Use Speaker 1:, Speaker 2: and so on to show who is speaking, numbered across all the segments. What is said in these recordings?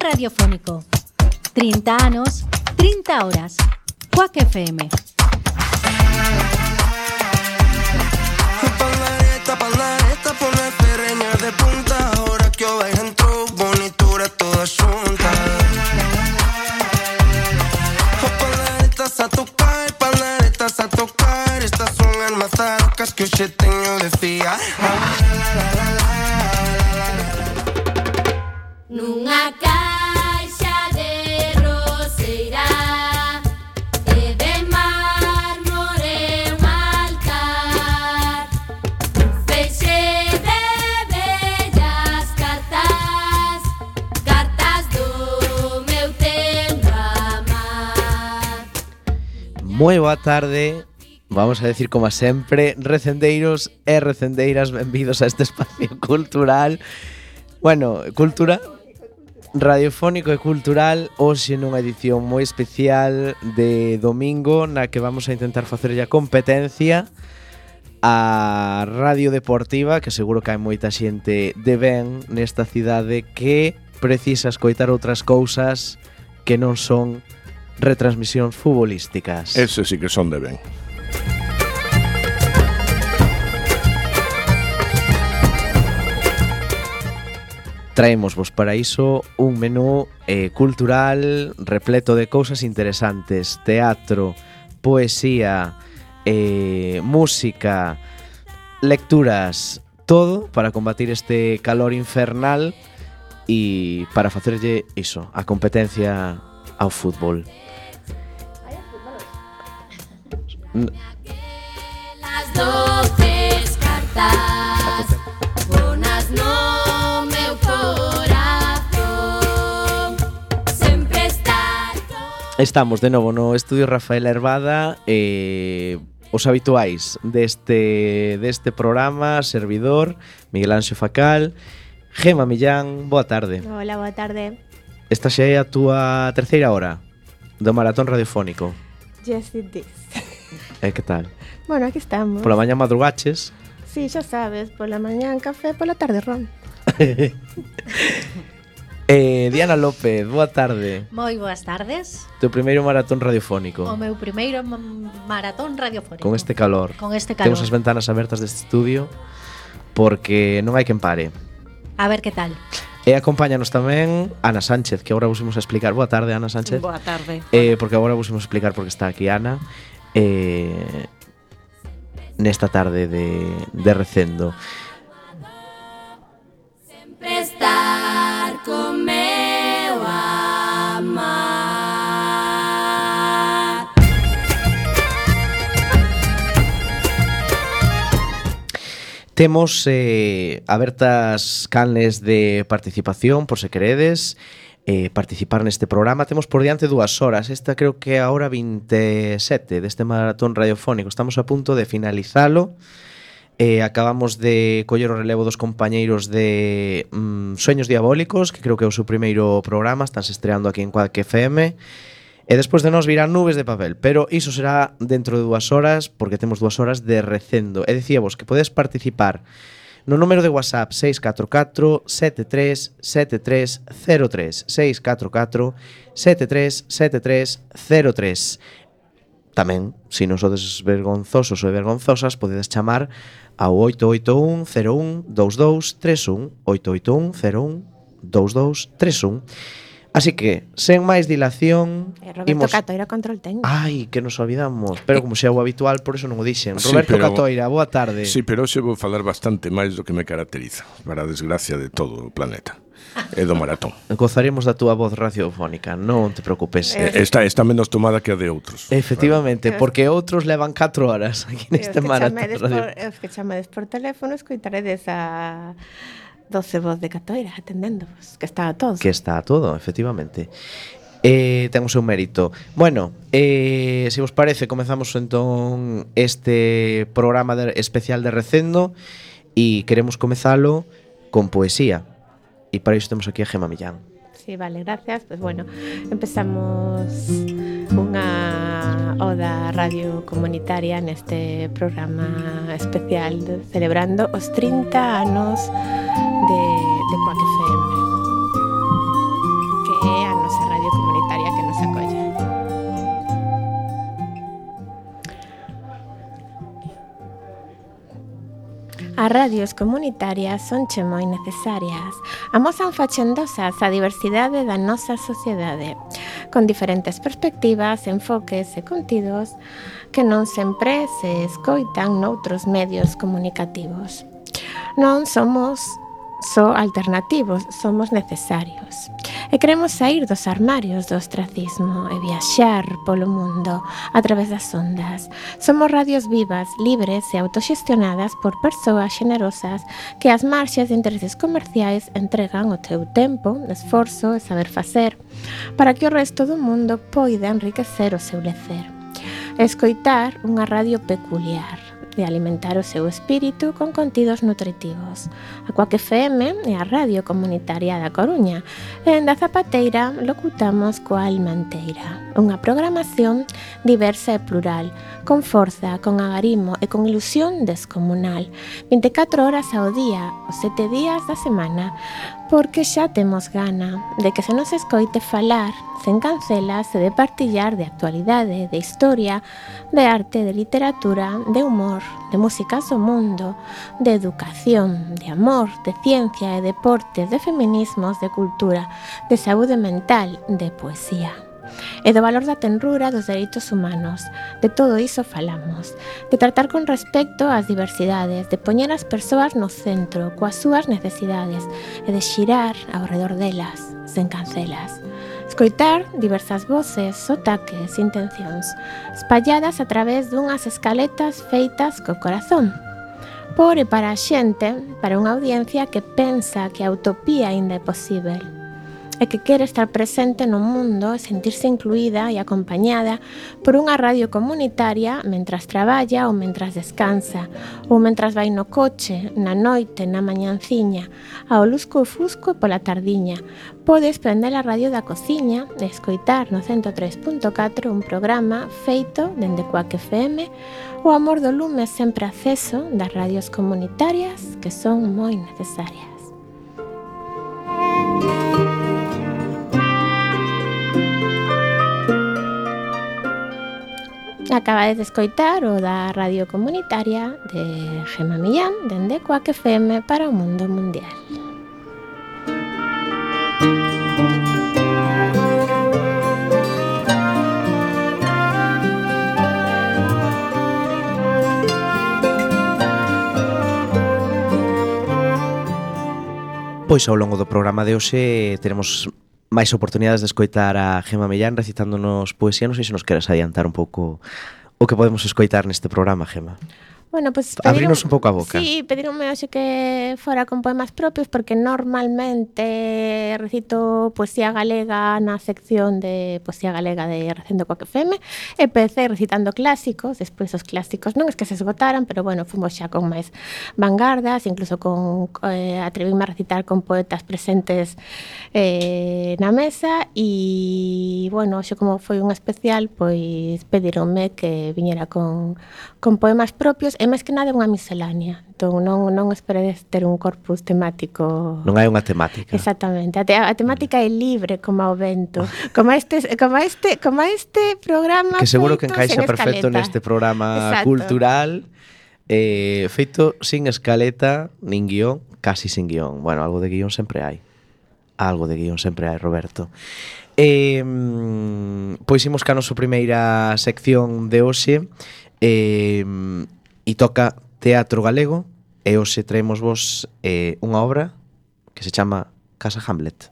Speaker 1: radiofónico. 30 anos, 30 horas. Quack FM.
Speaker 2: Pandareta, pone ferreña de punta. Ahora que o vais entrou, bonitura toda xunta. Pandaretas a tocar. Estas son as mazarcas que hoxe teño de fiar.
Speaker 3: Nunha caixa de roseira e de mármore un altar, un feixe de bellas cartas, cartas do meu tempo amar.
Speaker 4: Moi boa tarde, vamos a decir como sempre, recendeiros e recendeiras, benvidos a este espacio cultural. Bueno, cultura radiofónico e cultural, hoxe nunha edición moi especial de domingo na que vamos a intentar facerlle a competencia a Radio Deportiva, que seguro que hai moita xente de ben nesta cidade que precisa escoitar outras cousas que non son retransmisións futbolísticas.
Speaker 5: Ese sí que son de ben.
Speaker 4: Traémosvos para iso un menú cultural repleto de cousas interesantes. Teatro, poesía, música, lecturas, todo para combatir este calor infernal e para facerlle iso, a competencia ao fútbol.
Speaker 3: Las 12 cartas bonas no meu corazón, sempre estar con...
Speaker 4: Estamos de novo no estudio Rafael Hervada, os habituais deste programa, servidor, Miguel Anxo Facal, Gema Millán, boa tarde.
Speaker 6: Hola, boa tarde.
Speaker 4: Esta xa é a túa terceira hora do maratón radiofónico.
Speaker 6: Yes, it is.
Speaker 4: Que tal?
Speaker 6: Bueno, aquí estamos.
Speaker 4: Pola mañá madrugaches?
Speaker 6: Sí, xa sabes, pola mañán café, pola tarde ron.
Speaker 4: Diana López, boa tarde.
Speaker 1: Moi boas tardes.
Speaker 4: Teu primeiro maratón radiofónico.
Speaker 1: O meu primeiro maratón radiofónico.
Speaker 4: Con este calor.
Speaker 1: Con este calor.
Speaker 4: Temos as ventanas abertas deste estudio porque non hai quen pare.
Speaker 1: A ver que tal.
Speaker 4: E acompáñanos tamén Ana Sánchez, que agora vos imos a explicar. Boa tarde, Ana Sánchez.
Speaker 7: Boa tarde.
Speaker 4: Porque agora vos imos a explicar porque está aquí Ana nesta tarde de recendo.
Speaker 3: Sempre estar con meu amar.
Speaker 4: Temos abertas canles de participación, por se queredes participar neste programa. Temos por diante 2 horas. Esta creo que é a hora 27 deste maratón radiofónico. Estamos a punto de finalizalo. Acabamos de coller o relevo dos compañeiros de Sueños Diabólicos, que creo que é o seu primeiro programa. Estánse estreando aquí en Quack FM. E despois de nós virán Nubes de Papel. Pero iso será dentro de 2 horas, porque temos 2 horas de recendo. E dicíamos que podes participar no número de WhatsApp 644 73 73 03 644 73 73 03. Tamén, se non sodes vergonzosos ou vergonzosas, podedes chamar ao 881 01 22 31 881 01 22 31. Así que, sen máis dilación,
Speaker 6: Roberto Catoira, control técnico.
Speaker 4: Ai, que nos olvidamos. Pero como xa é o habitual, por eso non o dixen. Roberto Catoira, boa tarde.
Speaker 5: Sí, pero hoxe vou falar bastante máis do que me caracteriza, para a desgracia de todo o planeta. E do maratón.
Speaker 4: Gozaremos da túa voz radiofónica, non te preocupes.
Speaker 5: Está menos tomada que a de outros.
Speaker 4: Efectivamente, porque outros levan 4 horas aquí neste maratón.
Speaker 6: Os que chamedes por teléfono, escoitaredes a 12 voz de Catoira atendéndovos, que está a todo.
Speaker 4: Que está a todo, efectivamente. Ten o seu mérito. Bueno, se vos parece, comezamos entón este programa especial de recendo e queremos comezalo con poesía. E para iso temos aquí a Gema Millán.
Speaker 6: Sí, vale, gracias. Pues bueno, empezamos unha oda radio comunitaria neste programa especial celebrando os 30 anos de Quack FM, que As radios comunitarias sonche moi necesarias. Amosan facendosas a diversidade da nosa sociedade, con diferentes perspectivas, enfoques e contidos que non sempre se escoitan noutros medios comunicativos. Non somos só alternativos, somos necesarios. E queremos sair dos armarios do ostracismo e viaxar polo mundo a través das ondas. Somos radios vivas, libres e autoxestionadas por persoas xenerosas que ás marxes de intereses comerciais entregan o teu tempo, esforzo e saber facer para que o resto do mundo poida enriquecer o seu lecer. Escoitar unha radio peculiar, de alimentar o seu espírito con contidos nutritivos. A Cuac FM é a radio comunitaria da Coruña e en da Zapateira locutamos coa Almanteira. Unha programación diversa e plural, con forza, con agarimo e con ilusión descomunal. 24 horas ao día, os 7 días da semana, porque xa temos gana de que se nos escoite falar sen cancelas e de partillar de actualidade, de historia, de arte, de literatura, de humor, de músicas do mundo, de educación, de amor, de ciencia e deportes, de feminismos, de cultura, de saúde mental, de poesía. E do valor da tenrura dos dereitos humanos. De todo iso falamos. De tratar con respecto ás diversidades, de poñer as persoas no centro, coas súas necesidades, e de xirar ao redor delas, sen cancelas. Escoitar diversas voces, sotaques, intencións, espalladas a través dunhas escaletas feitas co corazón. Por e para a xente, para unha audiencia que pensa que a utopía aínda é posível, e que quere estar presente no mundo e sentirse incluída e acompañada por unha radio comunitaria mentras traballa ou mentras descansa, ou mentras vai no coche, na noite, na mañanciña, ao lusco-fusco e pola tardiña. Podes prender a radio da cociña e escoitar no 103.4 un programa feito dende Cuac FM, o amor do lume sempre acceso das radios comunitarias que son moi necesarias. Acabades de escoitar o da radio comunitaria de Gemma Millán dende Cuac FM para o mundo mundial.
Speaker 4: Pois ao longo do programa de hoxe teremos máis oportunidades de escoitar a Gemma Millán recitándonos poesía. Non sei se nos queres adiantar un pouco o que podemos escoitar neste programa, Gemma.
Speaker 6: Bueno, pues
Speaker 4: abrinos un pouco a boca.
Speaker 6: Sí, pedironme hoxe que fora con poemas propios porque normalmente recito poesía galega na sección de poesía galega de Recendo Cuac FM. Empecé recitando clásicos, despois os clásicos non es que se esgotaran, pero bueno, fomos xa con máis vanguardas, incluso con atrevíme a recitar con poetas presentes na mesa e bueno, hoxe como foi un especial, pois pedironme que viñera con poemas propios. É máis que nada unha miscelánea. Entón non esperedes ter un corpus temático.
Speaker 4: Non hai unha temática.
Speaker 6: Exactamente. A temática é libre como o vento. Como este programa
Speaker 4: que seguro que encaixa perfecto neste programa cultural feito sin escaleta, nin guión, casi sin guión. Bueno, algo de guión sempre hai. Algo de guión sempre hai, Roberto. Pois imos ca nosa primeira sección de hoxe. E toca teatro galego e hoxe traemos vos unha obra que se chama Casa Hamlet.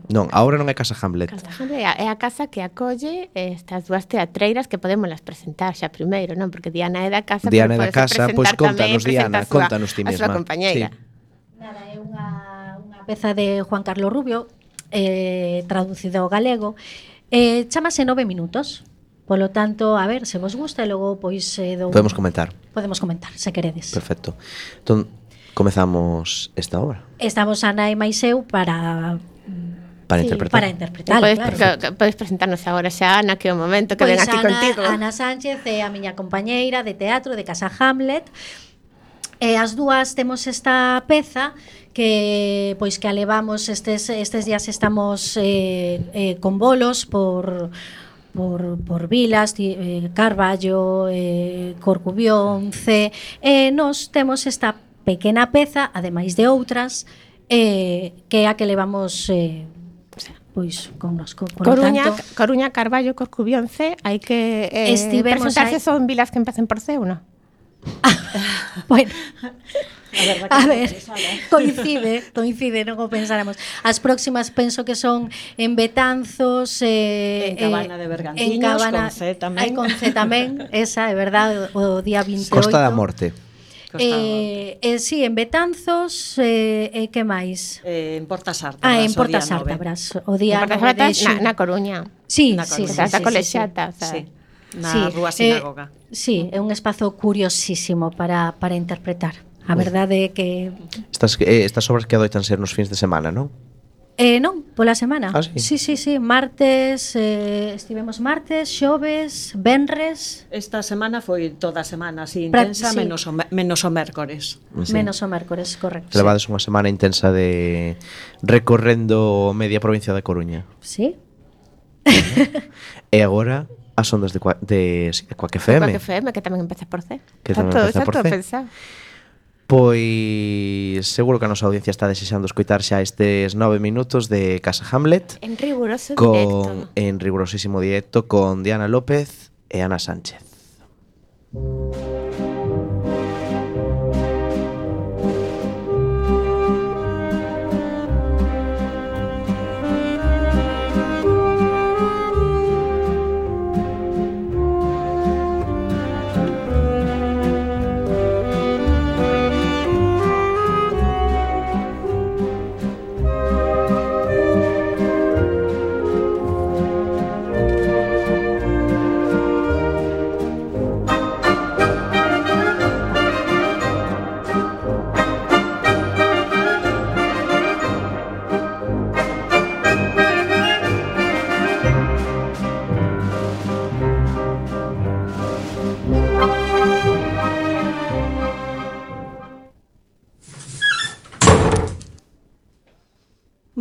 Speaker 4: Non, a obra non é Casa Hamlet.
Speaker 6: Casa Hamlet é a casa que acolle estas dúas teatreiras que podémolas presentar xa primeiro, non? Porque Diana é da casa,
Speaker 4: Diana é da casa, pois contanos, Diana, contanos ti mesma.
Speaker 6: A súa compañeira.
Speaker 1: Sí. Nada, é unha peza de Juan Carlos Rubio, traducido ao galego, chamase 9 minutos. Polo tanto, a ver, se vos gusta e logo pois
Speaker 4: podemos comentar.
Speaker 1: Podemos comentar, se queredes.
Speaker 4: Perfecto. Entón, comezamos esta obra.
Speaker 1: Estamos Ana e máis eu para
Speaker 4: interpretar.
Speaker 1: Para interpretar.
Speaker 6: Podes presentarnos agora xa, Ana, que é o momento que ven aquí contigo.
Speaker 1: Ana Sánchez é a miña compañeira de teatro de Casa Hamlet. E as dúas temos esta peza que pois que a levamos estes días estamos con bolos por por vilas, Carballo, Corcubión, C, nos temos esta pequena peza, ademais de outras, que é a que levamos pois connosco.
Speaker 6: Coruña, Carballo, Corcubión, C, hai que presentarse son vilas que empecen por C, ou non?
Speaker 1: Bueno, a ver, coincide, non o pensáramos. As próximas penso que son en Betanzos,
Speaker 7: en Cabana de Bergantiños, con C tamén.
Speaker 1: Con C tamén, esa é verdade, o día 28.
Speaker 4: Costa da Morte.
Speaker 1: Sí, en Betanzos, que máis?
Speaker 7: En Portas Ártabras.
Speaker 1: En Portas Ártabras, o día 9 de xunio.
Speaker 6: Na Coruña.
Speaker 1: Sí,
Speaker 6: Está colexiata,
Speaker 7: sí. Na Rúa Sinagoga.
Speaker 1: Sí, é un espazo curiosísimo para interpretar. A verdade é que...
Speaker 4: Estas obras que adoitan ser nos fins de semana, non?
Speaker 1: Non, pola semana.
Speaker 4: Sí.
Speaker 1: Sí. Martes, estivemos martes, xoves, venres.
Speaker 7: Esta semana foi toda a semana así intensa, menos o mércores.
Speaker 1: Sí. Menos o mércores, correcto.
Speaker 4: Levades unha semana intensa de recorrendo media provincia da Coruña.
Speaker 1: Sí.
Speaker 4: E agora as ondas de Quack FM.
Speaker 6: Quack FM, que tamén empeza por C.
Speaker 4: Que tamén empeza por C.
Speaker 6: Pensado.
Speaker 4: Pois seguro que a nosa audiencia está desexando escoitar xa estes 9 minutos de Casa Hamlet
Speaker 6: en rigurosísimo
Speaker 4: directo con Diana López e Ana Sánchez.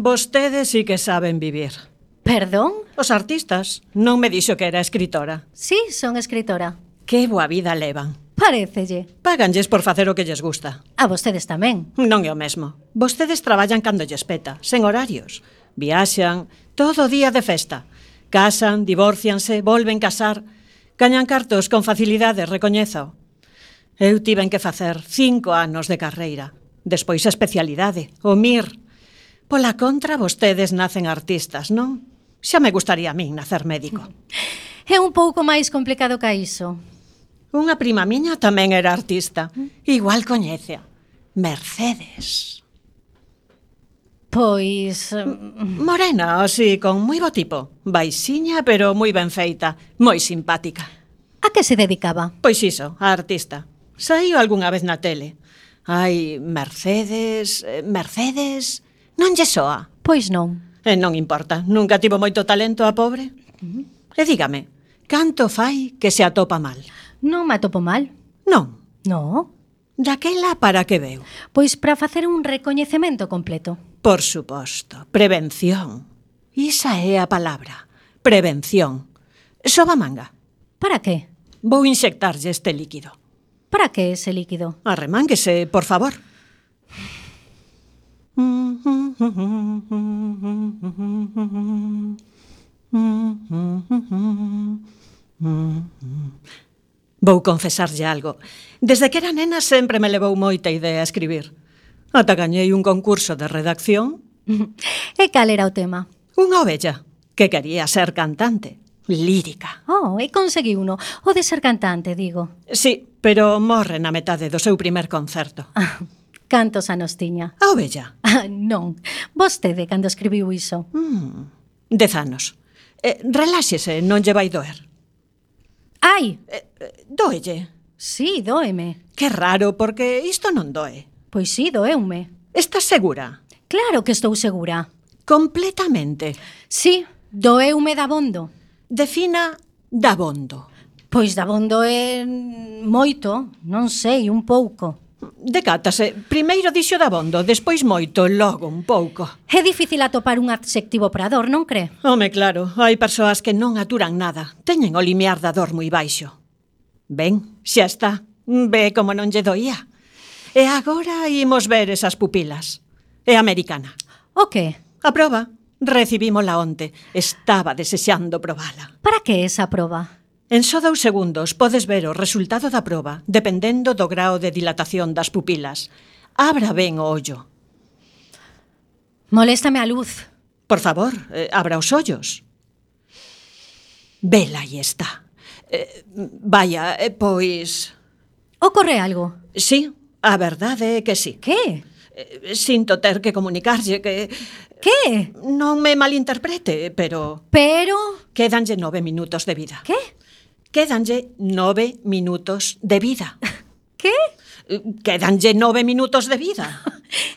Speaker 7: Vostedes sí que saben vivir.
Speaker 1: Perdón?
Speaker 7: Os artistas. Non me dixo que era escritora.
Speaker 1: Sí, son escritora.
Speaker 7: Que boa vida levan.
Speaker 1: Parécelle.
Speaker 7: Páganlles por facer o que lles gusta.
Speaker 1: A vostedes tamén.
Speaker 7: Non é o mesmo. Vostedes traballan cando lles peta, sen horarios. Viaxan, todo día de festa. Casan, divorcianse, volven casar. Gañan cartos con facilidade, recoñezo. Eu tiven que facer 5 anos de carreira. Despois a especialidade, o MIR. Pola contra, vostedes nacen artistas, non? Xa me gustaría a min nacer médico.
Speaker 1: É un pouco máis complicado que iso.
Speaker 7: Unha prima miña tamén era artista. Igual coñecea. Mercedes.
Speaker 1: Pois...
Speaker 7: Morena, así, con moi bo tipo. Baixiña, pero moi ben feita. Moi simpática.
Speaker 1: A que se dedicaba?
Speaker 7: Pois iso, a artista. Saíu algunha vez na tele. Ai, Mercedes... Non lle soa?
Speaker 1: Pois non.
Speaker 7: E non importa, nunca tivo moito talento a pobre. E dígame, canto fai que se atopa mal?
Speaker 1: Non me atopo mal.
Speaker 7: Non.
Speaker 1: No.
Speaker 7: Daquela para que veu?
Speaker 1: Pois para facer un recoñecemento completo.
Speaker 7: Por suposto, prevención. Isa é a palabra, prevención. Soba manga.
Speaker 1: Para que?
Speaker 7: Vou inyectarlle este líquido.
Speaker 1: Para que ese líquido?
Speaker 7: Arremánguese, por favor. Vou confesarlle algo. Desde que era nena sempre me levou moita idea a escribir. Ata gañei un concurso de redacción.
Speaker 1: E cal era o tema?
Speaker 7: Unha ovella que quería ser cantante, lírica.
Speaker 1: Oh, e conseguí uno. O de ser cantante, digo.
Speaker 7: Sí, pero morre na metade do seu primer concerto.
Speaker 1: Cantos anos tiña?
Speaker 7: A ovella?
Speaker 1: Non, vostede cando escribiu iso.
Speaker 7: 10 anos. Reláxese, non lle vai doer.
Speaker 1: Ai!
Speaker 7: Doelle?
Speaker 1: Sí, dóeme.
Speaker 7: Que raro, porque isto non doe.
Speaker 1: Pois sí, doeume.
Speaker 7: Estás segura?
Speaker 1: Claro que estou segura.
Speaker 7: Completamente?
Speaker 1: Sí, doeume dabondo.
Speaker 7: Defina dabondo.
Speaker 1: Pois dabondo é moito, non sei, un pouco.
Speaker 7: Decátase, primeiro dixo dabondo, despois moito, logo un pouco.
Speaker 1: É difícil atopar un adxectivo para a dor, non cree?
Speaker 7: Home, claro, hai persoas que non aturan nada. Teñen o limiar da dor moi baixo. Ben, xa está. Ve como non lle doía. E agora imos ver esas pupilas. É americana.
Speaker 1: O que?
Speaker 7: A proba, recibímola onte. Estaba desexando probala.
Speaker 1: Para que esa proba?
Speaker 7: En só 2 segundos podes ver o resultado da proba, dependendo do grao de dilatación das pupilas. Abra ben o ollo.
Speaker 1: Moléstame a luz.
Speaker 7: Por favor, abra os ollos. Vela, aí está. Vaya, pois...
Speaker 1: Ocorre algo?
Speaker 7: Sí, a verdade é que sí.
Speaker 1: Que?
Speaker 7: Sinto ter que comunicarlle que...
Speaker 1: Que?
Speaker 7: Non me malinterprete, pero...
Speaker 1: Pero...
Speaker 7: Quédanlle 9 minutos de vida.
Speaker 1: Que?
Speaker 7: Quédanlle 9 minutos de vida.
Speaker 1: Que?
Speaker 7: Quédanlle 9 minutos de vida.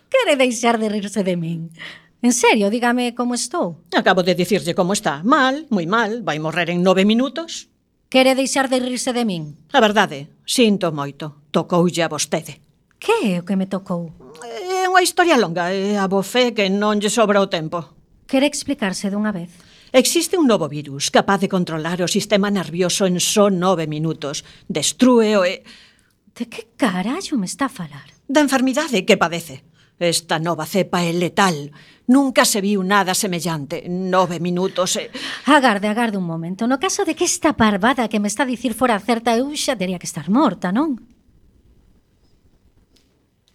Speaker 1: Quere deixar de rirse de min? En serio, dígame como estou.
Speaker 7: Acabo de dicirlle como está. Mal, moi mal. Vai morrer en 9 minutos.
Speaker 1: Quere deixar de rirse de min?
Speaker 7: A verdade, sinto moito. Tocoulle a vostede.
Speaker 1: Que é o que me tocou?
Speaker 7: É unha historia longa e a bofé que non lle sobra o tempo.
Speaker 1: Quere explicarse dunha vez?
Speaker 7: Existe un novo virus capaz de controlar o sistema nervioso en só 9 minutos. Destrúeo e...
Speaker 1: De que carallo me está a falar?
Speaker 7: Da enfermidade que padece. Esta nova cepa é letal. Nunca se viu nada semellante. 9 minutos e...
Speaker 1: Agarde un momento. No caso de que esta parvada que me está a dicir fora certa, eu xa teria que estar morta, non?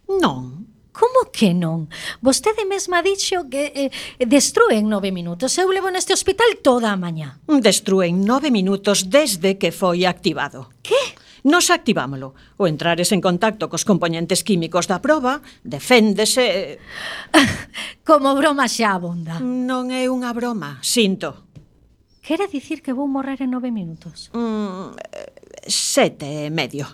Speaker 7: Non.
Speaker 1: Como que non? Vostede mesma dixo que destrúe en 9 minutos. Eu levo neste hospital toda a mañá.
Speaker 7: Destrúe en 9 minutos desde que foi activado.
Speaker 1: Que?
Speaker 7: Nos activámolo. O entrares en contacto cos componentes químicos da proba, deféndese...
Speaker 1: Como broma xa abonda.
Speaker 7: Non é unha broma, sinto.
Speaker 1: Quere dicir que vou morrer en 9 minutos?
Speaker 7: 7 e medio.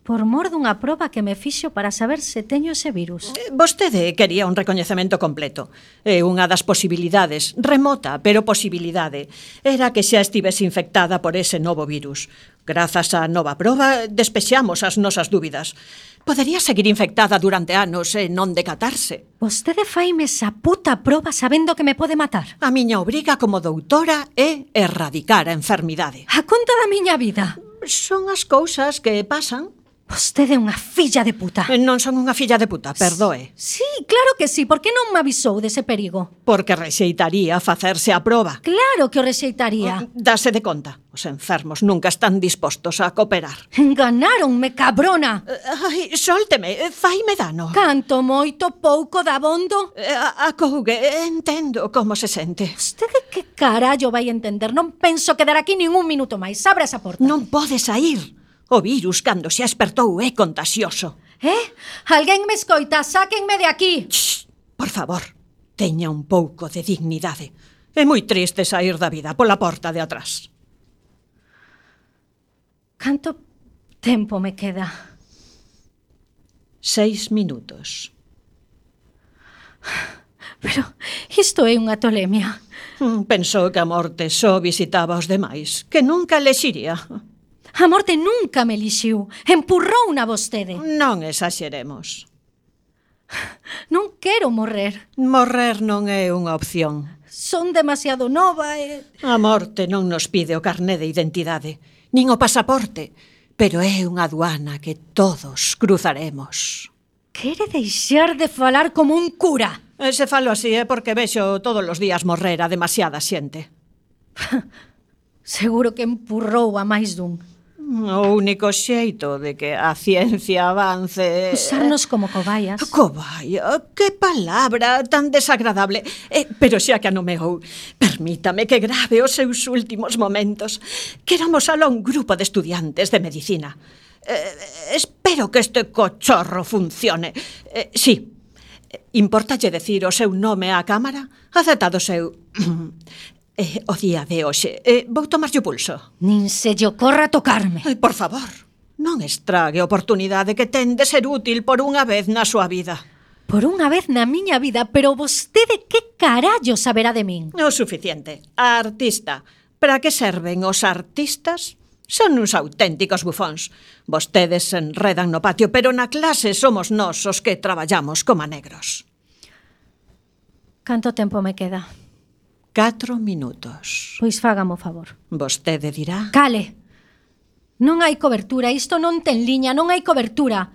Speaker 1: Por mor dunha proba que me fixo para saber se teño ese virus.
Speaker 7: Vostede quería un recoñecemento completo. E unha das posibilidades, remota, pero posibilidade, era que xa estivese infectada por ese novo virus. Grazas á nova proba, despexamos as nosas dúbidas. Podería seguir infectada durante anos e non decatarse.
Speaker 1: Vostede faime esa puta proba sabendo que me pode matar.
Speaker 7: A miña obriga como doutora é erradicar a enfermidade.
Speaker 1: A conta da miña vida.
Speaker 7: Son as cousas que pasan.
Speaker 1: Vostede é unha filla de puta.
Speaker 7: Non son unha filla de puta, perdoe.
Speaker 1: Sí, claro que sí. Por que non me avisou dese perigo?
Speaker 7: Porque rexeitaría facerse a proba.
Speaker 1: Claro que o rexeitaría.
Speaker 7: Dase de conta. Os enfermos nunca están dispostos a cooperar.
Speaker 1: Enganáronme, cabrona.
Speaker 7: Ai, sólteme, faime dano.
Speaker 1: Canto moito pouco dabondo.
Speaker 7: Acougue, entendo como se sente.
Speaker 1: Vostede que carallo vai entender? Non penso quedar aquí nin un minuto máis. Abra esa porta.
Speaker 7: Non pode saír. O virus, cando se espertou, é contagioso.
Speaker 1: Alguén me escoita, sáquenme de aquí.
Speaker 7: Shh, por favor, teña un pouco de dignidade. É moi triste saír da vida pola porta de atrás.
Speaker 1: Canto tempo me queda?
Speaker 7: 6 minutos.
Speaker 1: Pero isto é unha tolemia.
Speaker 7: Pensou que a morte só visitaba os demais, que nunca lexiría.
Speaker 1: A morte nunca me elixiu. Empurrou na vostede.
Speaker 7: Non exaxeremos.
Speaker 1: Non quero morrer.
Speaker 7: Morrer non é unha opción.
Speaker 1: Son demasiado nova e...
Speaker 7: A morte non nos pide o carné de identidade, nin o pasaporte, pero é unha aduana que todos cruzaremos.
Speaker 1: Quere deixar de falar como un cura.
Speaker 7: Se falo así é porque vexo todos os días morrer a demasiada xente.
Speaker 1: Seguro que empurrou a máis dun.
Speaker 7: O único xeito de que a ciencia avance...
Speaker 1: Usarnos como cobaias.
Speaker 7: Cobaia, que palabra tan desagradable. Pero xa que a nomeou, permítame que grave os seus últimos momentos. Queramos alá un grupo de estudiantes de medicina. Espero que este cochorro funcione. Sí, importalle decir o seu nome á cámara? Aceptado o seu... o día de hoxe. Vou tomarlle o pulso.
Speaker 1: Nin se lle ocorra tocarme.
Speaker 7: Por favor, non estrague a oportunidade que ten de ser útil por unha vez na súa vida.
Speaker 1: Por unha vez na miña vida, pero vostede que carallo saberá de min?
Speaker 7: O suficiente. A artista. Para que serven os artistas? Son uns auténticos bufóns. Vostedes se enredan no patio, pero na clase somos nós os que traballamos coma negros.
Speaker 1: Canto tempo me queda?
Speaker 7: 4 minutos.
Speaker 1: Pois fágame o favor.
Speaker 7: Vostede dirá...
Speaker 1: Cale! Non hai cobertura, isto non ten liña, non hai cobertura.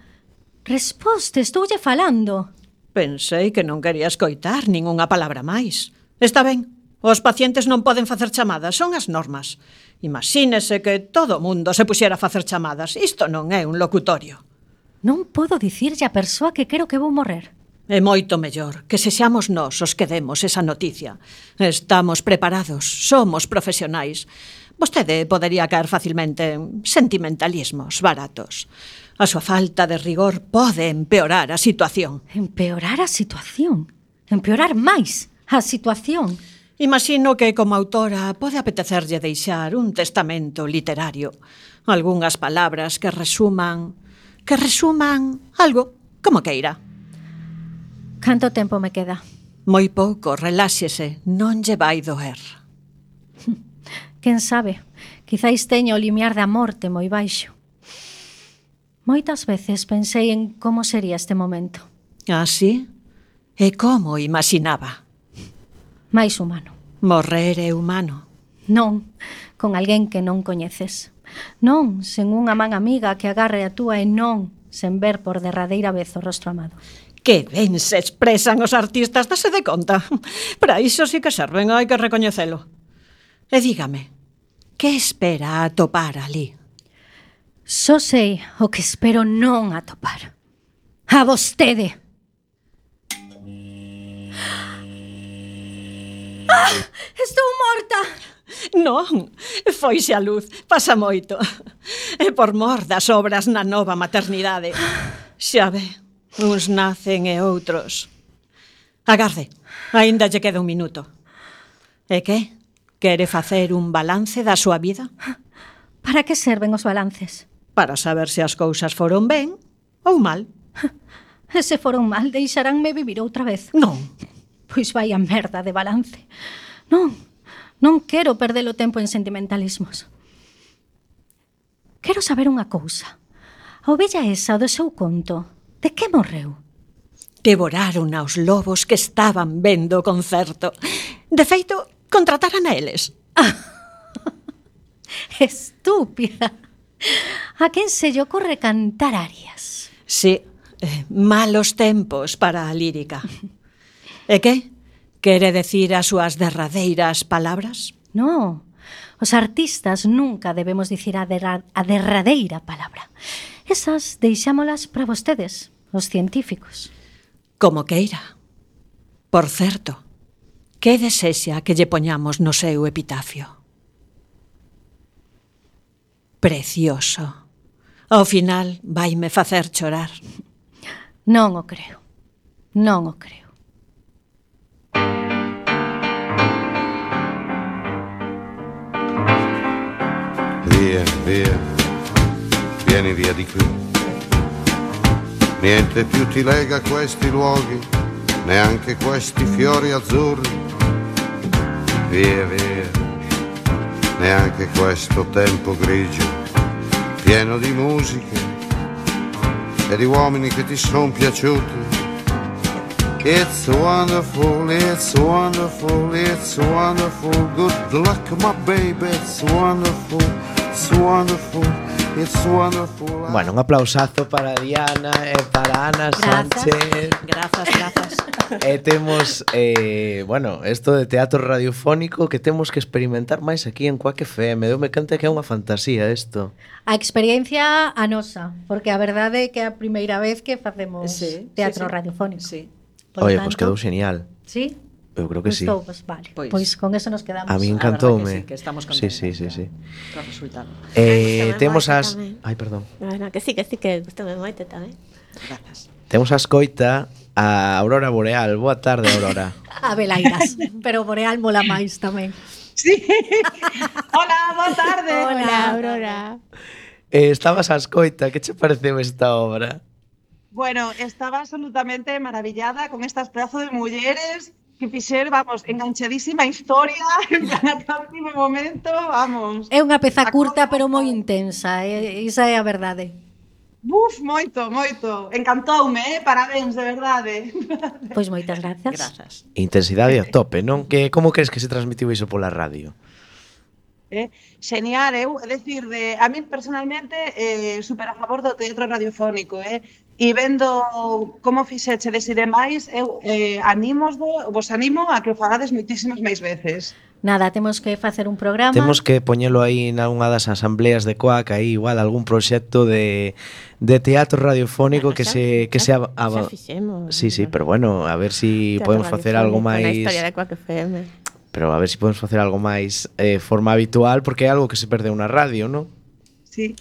Speaker 1: Resposte, estoulle falando.
Speaker 7: Pensei que non quería escoitar ningunha palabra máis. Está ben, os pacientes non poden facer chamadas, son as normas. Imagínese que todo o mundo se puxera a facer chamadas. Isto non é un locutorio.
Speaker 1: Non podo dicirlle a persoa que quero que vou morrer.
Speaker 7: É moito mellor que sexamos nós os que demos esa noticia. Estamos preparados, somos profesionais. Vostede podería caer facilmente en sentimentalismos baratos. A súa falta de rigor pode empeorar a situación.
Speaker 1: Empeorar a situación? Empeorar máis a situación?
Speaker 7: Imagino que como autora pode apetecerlle deixar un testamento literario. Algúnhas palabras que resuman algo, como queira.
Speaker 1: Canto tempo me queda?
Speaker 7: Moi pouco, reláxese, non lle vai doer.
Speaker 1: Quen sabe, quizáis teño o limiar da morte moi baixo. Moitas veces pensei en como sería este momento.
Speaker 7: Ah, sí? E como imaginaba?
Speaker 1: Máis humano.
Speaker 7: Morrer é humano.
Speaker 1: Non, con alguén que non coñeces. Non, sen unha man amiga que agarre a túa e non, sen ver por derradeira vez o rostro amado.
Speaker 7: Que ben se expresan os artistas, dase de conta. Para iso sí que serven, hai que recoñecelo. E dígame, que espera atopar ali?
Speaker 1: Só sei o que espero non atopar. A vostede. ¡Ah! Estou morta!
Speaker 7: Non, foise a luz, pasa moito. E por mor das obras na nova maternidade. Xa ve, uns nacen e outros. Agarde, aínda lle queda un minuto. E que? Quere facer un balance da súa vida?
Speaker 1: Para que serven os balances?
Speaker 7: Para saber se as cousas foron ben ou mal.
Speaker 1: E se foron mal, deixaránme vivir outra vez.
Speaker 7: Non.
Speaker 1: Pois vai a merda de balance. Non quero perder o tempo en sentimentalismos. Quero saber unha cousa. A ovella esa do seu conto, de que morreu?
Speaker 7: Devoraron aos lobos que estaban vendo o concerto. De feito, contrataran a eles.
Speaker 1: Estúpida. A quen se lle ocorre cantar arias?
Speaker 7: Sí, malos tempos para a lírica. E que? Quere decir as súas derradeiras palabras?
Speaker 1: No, os artistas nunca debemos dicir a derradeira palabra. Esas deixámolas para vostedes, os científicos.
Speaker 7: Como queira. Por certo, que desexa que lle poñamos no seu epitafio? Precioso. Ao final vaime facer chorar.
Speaker 1: Non o creo. Non o creo.
Speaker 8: Via, via, vieni via di qui. Niente più ti lega a questi luoghi, neanche questi fiori azzurri. Via, via, neanche questo tempo grigio, pieno di musiche e di uomini che ti son piaciuti. It's wonderful, it's wonderful, it's wonderful. Good luck, my baby, it's wonderful, it's wonderful, it's wonderful.
Speaker 4: Bueno, un aplausazo para Diana e para Ana Sánchez.
Speaker 7: Grazas.
Speaker 4: E temos, bueno, isto de teatro radiofónico que temos que experimentar máis aquí en Quack FM. Deume conta que é unha fantasía isto.
Speaker 1: A experiencia a nosa, porque a verdade é que é a primeira vez que facemos teatro radiofónico.
Speaker 7: Sí.
Speaker 4: Oye, pois quedou genial.
Speaker 1: Sí?
Speaker 4: Eu creo que sí.
Speaker 1: Pues vale, pois con eso nos quedamos.
Speaker 4: A mí encantoume.
Speaker 7: Que estamos contentos.
Speaker 4: Sí.
Speaker 7: Co resultado.
Speaker 4: Temos as... Ai, perdón.
Speaker 6: Bueno, que sí, que gustame moito tamén.
Speaker 7: Grazas.
Speaker 4: Temos a escoita a Aurora Boreal. Boa tarde, Aurora.
Speaker 1: A Belairas, pero Boreal mola máis tamén.
Speaker 9: Sí. Hola, boa tarde.
Speaker 6: Hola, Aurora.
Speaker 4: Estabas a escoita, que che pareceu esta obra?
Speaker 9: Bueno, estaba absolutamente maravillada con estas pedazos de mulleres que fixer, vamos, enganchadísima a historia, en plan, ata o último momento, vamos.
Speaker 1: É unha peza curta, pero moi intensa, esa é a verdade.
Speaker 9: Buf, moito, moito. Encantoume, parabéns, de verdade.
Speaker 1: Pois moitas grazas.
Speaker 7: Grazas.
Speaker 4: Intensidade a tope, non? Como crees que se transmitiu iso pola radio?
Speaker 9: Xenial, é dicir, a min personalmente super a favor do teatro radiofónico, e vendo como fixechedes e demais, eu vos animo a que o fagades moitísimas máis veces.
Speaker 1: Nada, temos que facer un programa.
Speaker 4: Temos que poñelo aí nalgunha das asambleas de Coac, aí igual algún proxecto de teatro radiofónico que se
Speaker 6: Xa fixemos.
Speaker 4: Sí, pero bueno, a ver si podemos facer algo máis.
Speaker 6: Na historia de Coac FM.
Speaker 4: Pero a ver si podemos facer algo máis forma habitual, porque é algo que se perdeu na radio, non?
Speaker 9: Sí.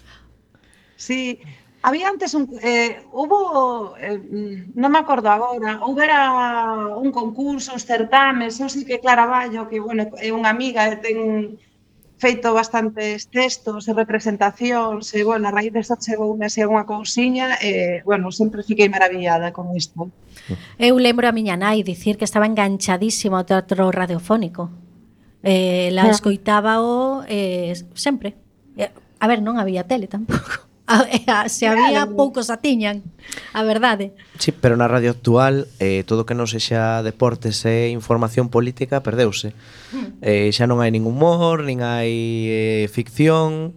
Speaker 9: Sí. Había antes hubo, non me acordo agora, houbera un concurso, uns certames, eu sei que Clara Ballo, que, bueno, é unha amiga e ten feito bastantes textos e representacións, e, bueno, a raíz desto chegoume así unha cousiña, e, bueno, sempre fiquei maravillada con isto.
Speaker 1: Eu lembro a miña nai dicir que estaba enganchadísimo ao teatro radiofónico. La escoitábao sempre. A ver, non había tele tampouco. Se había, poucos a tiñan, a verdade.
Speaker 4: Sí, pero na radio actual todo que non sexa deportes e información política perdeuse. Xa non hai ningún humor, nin hai ficción,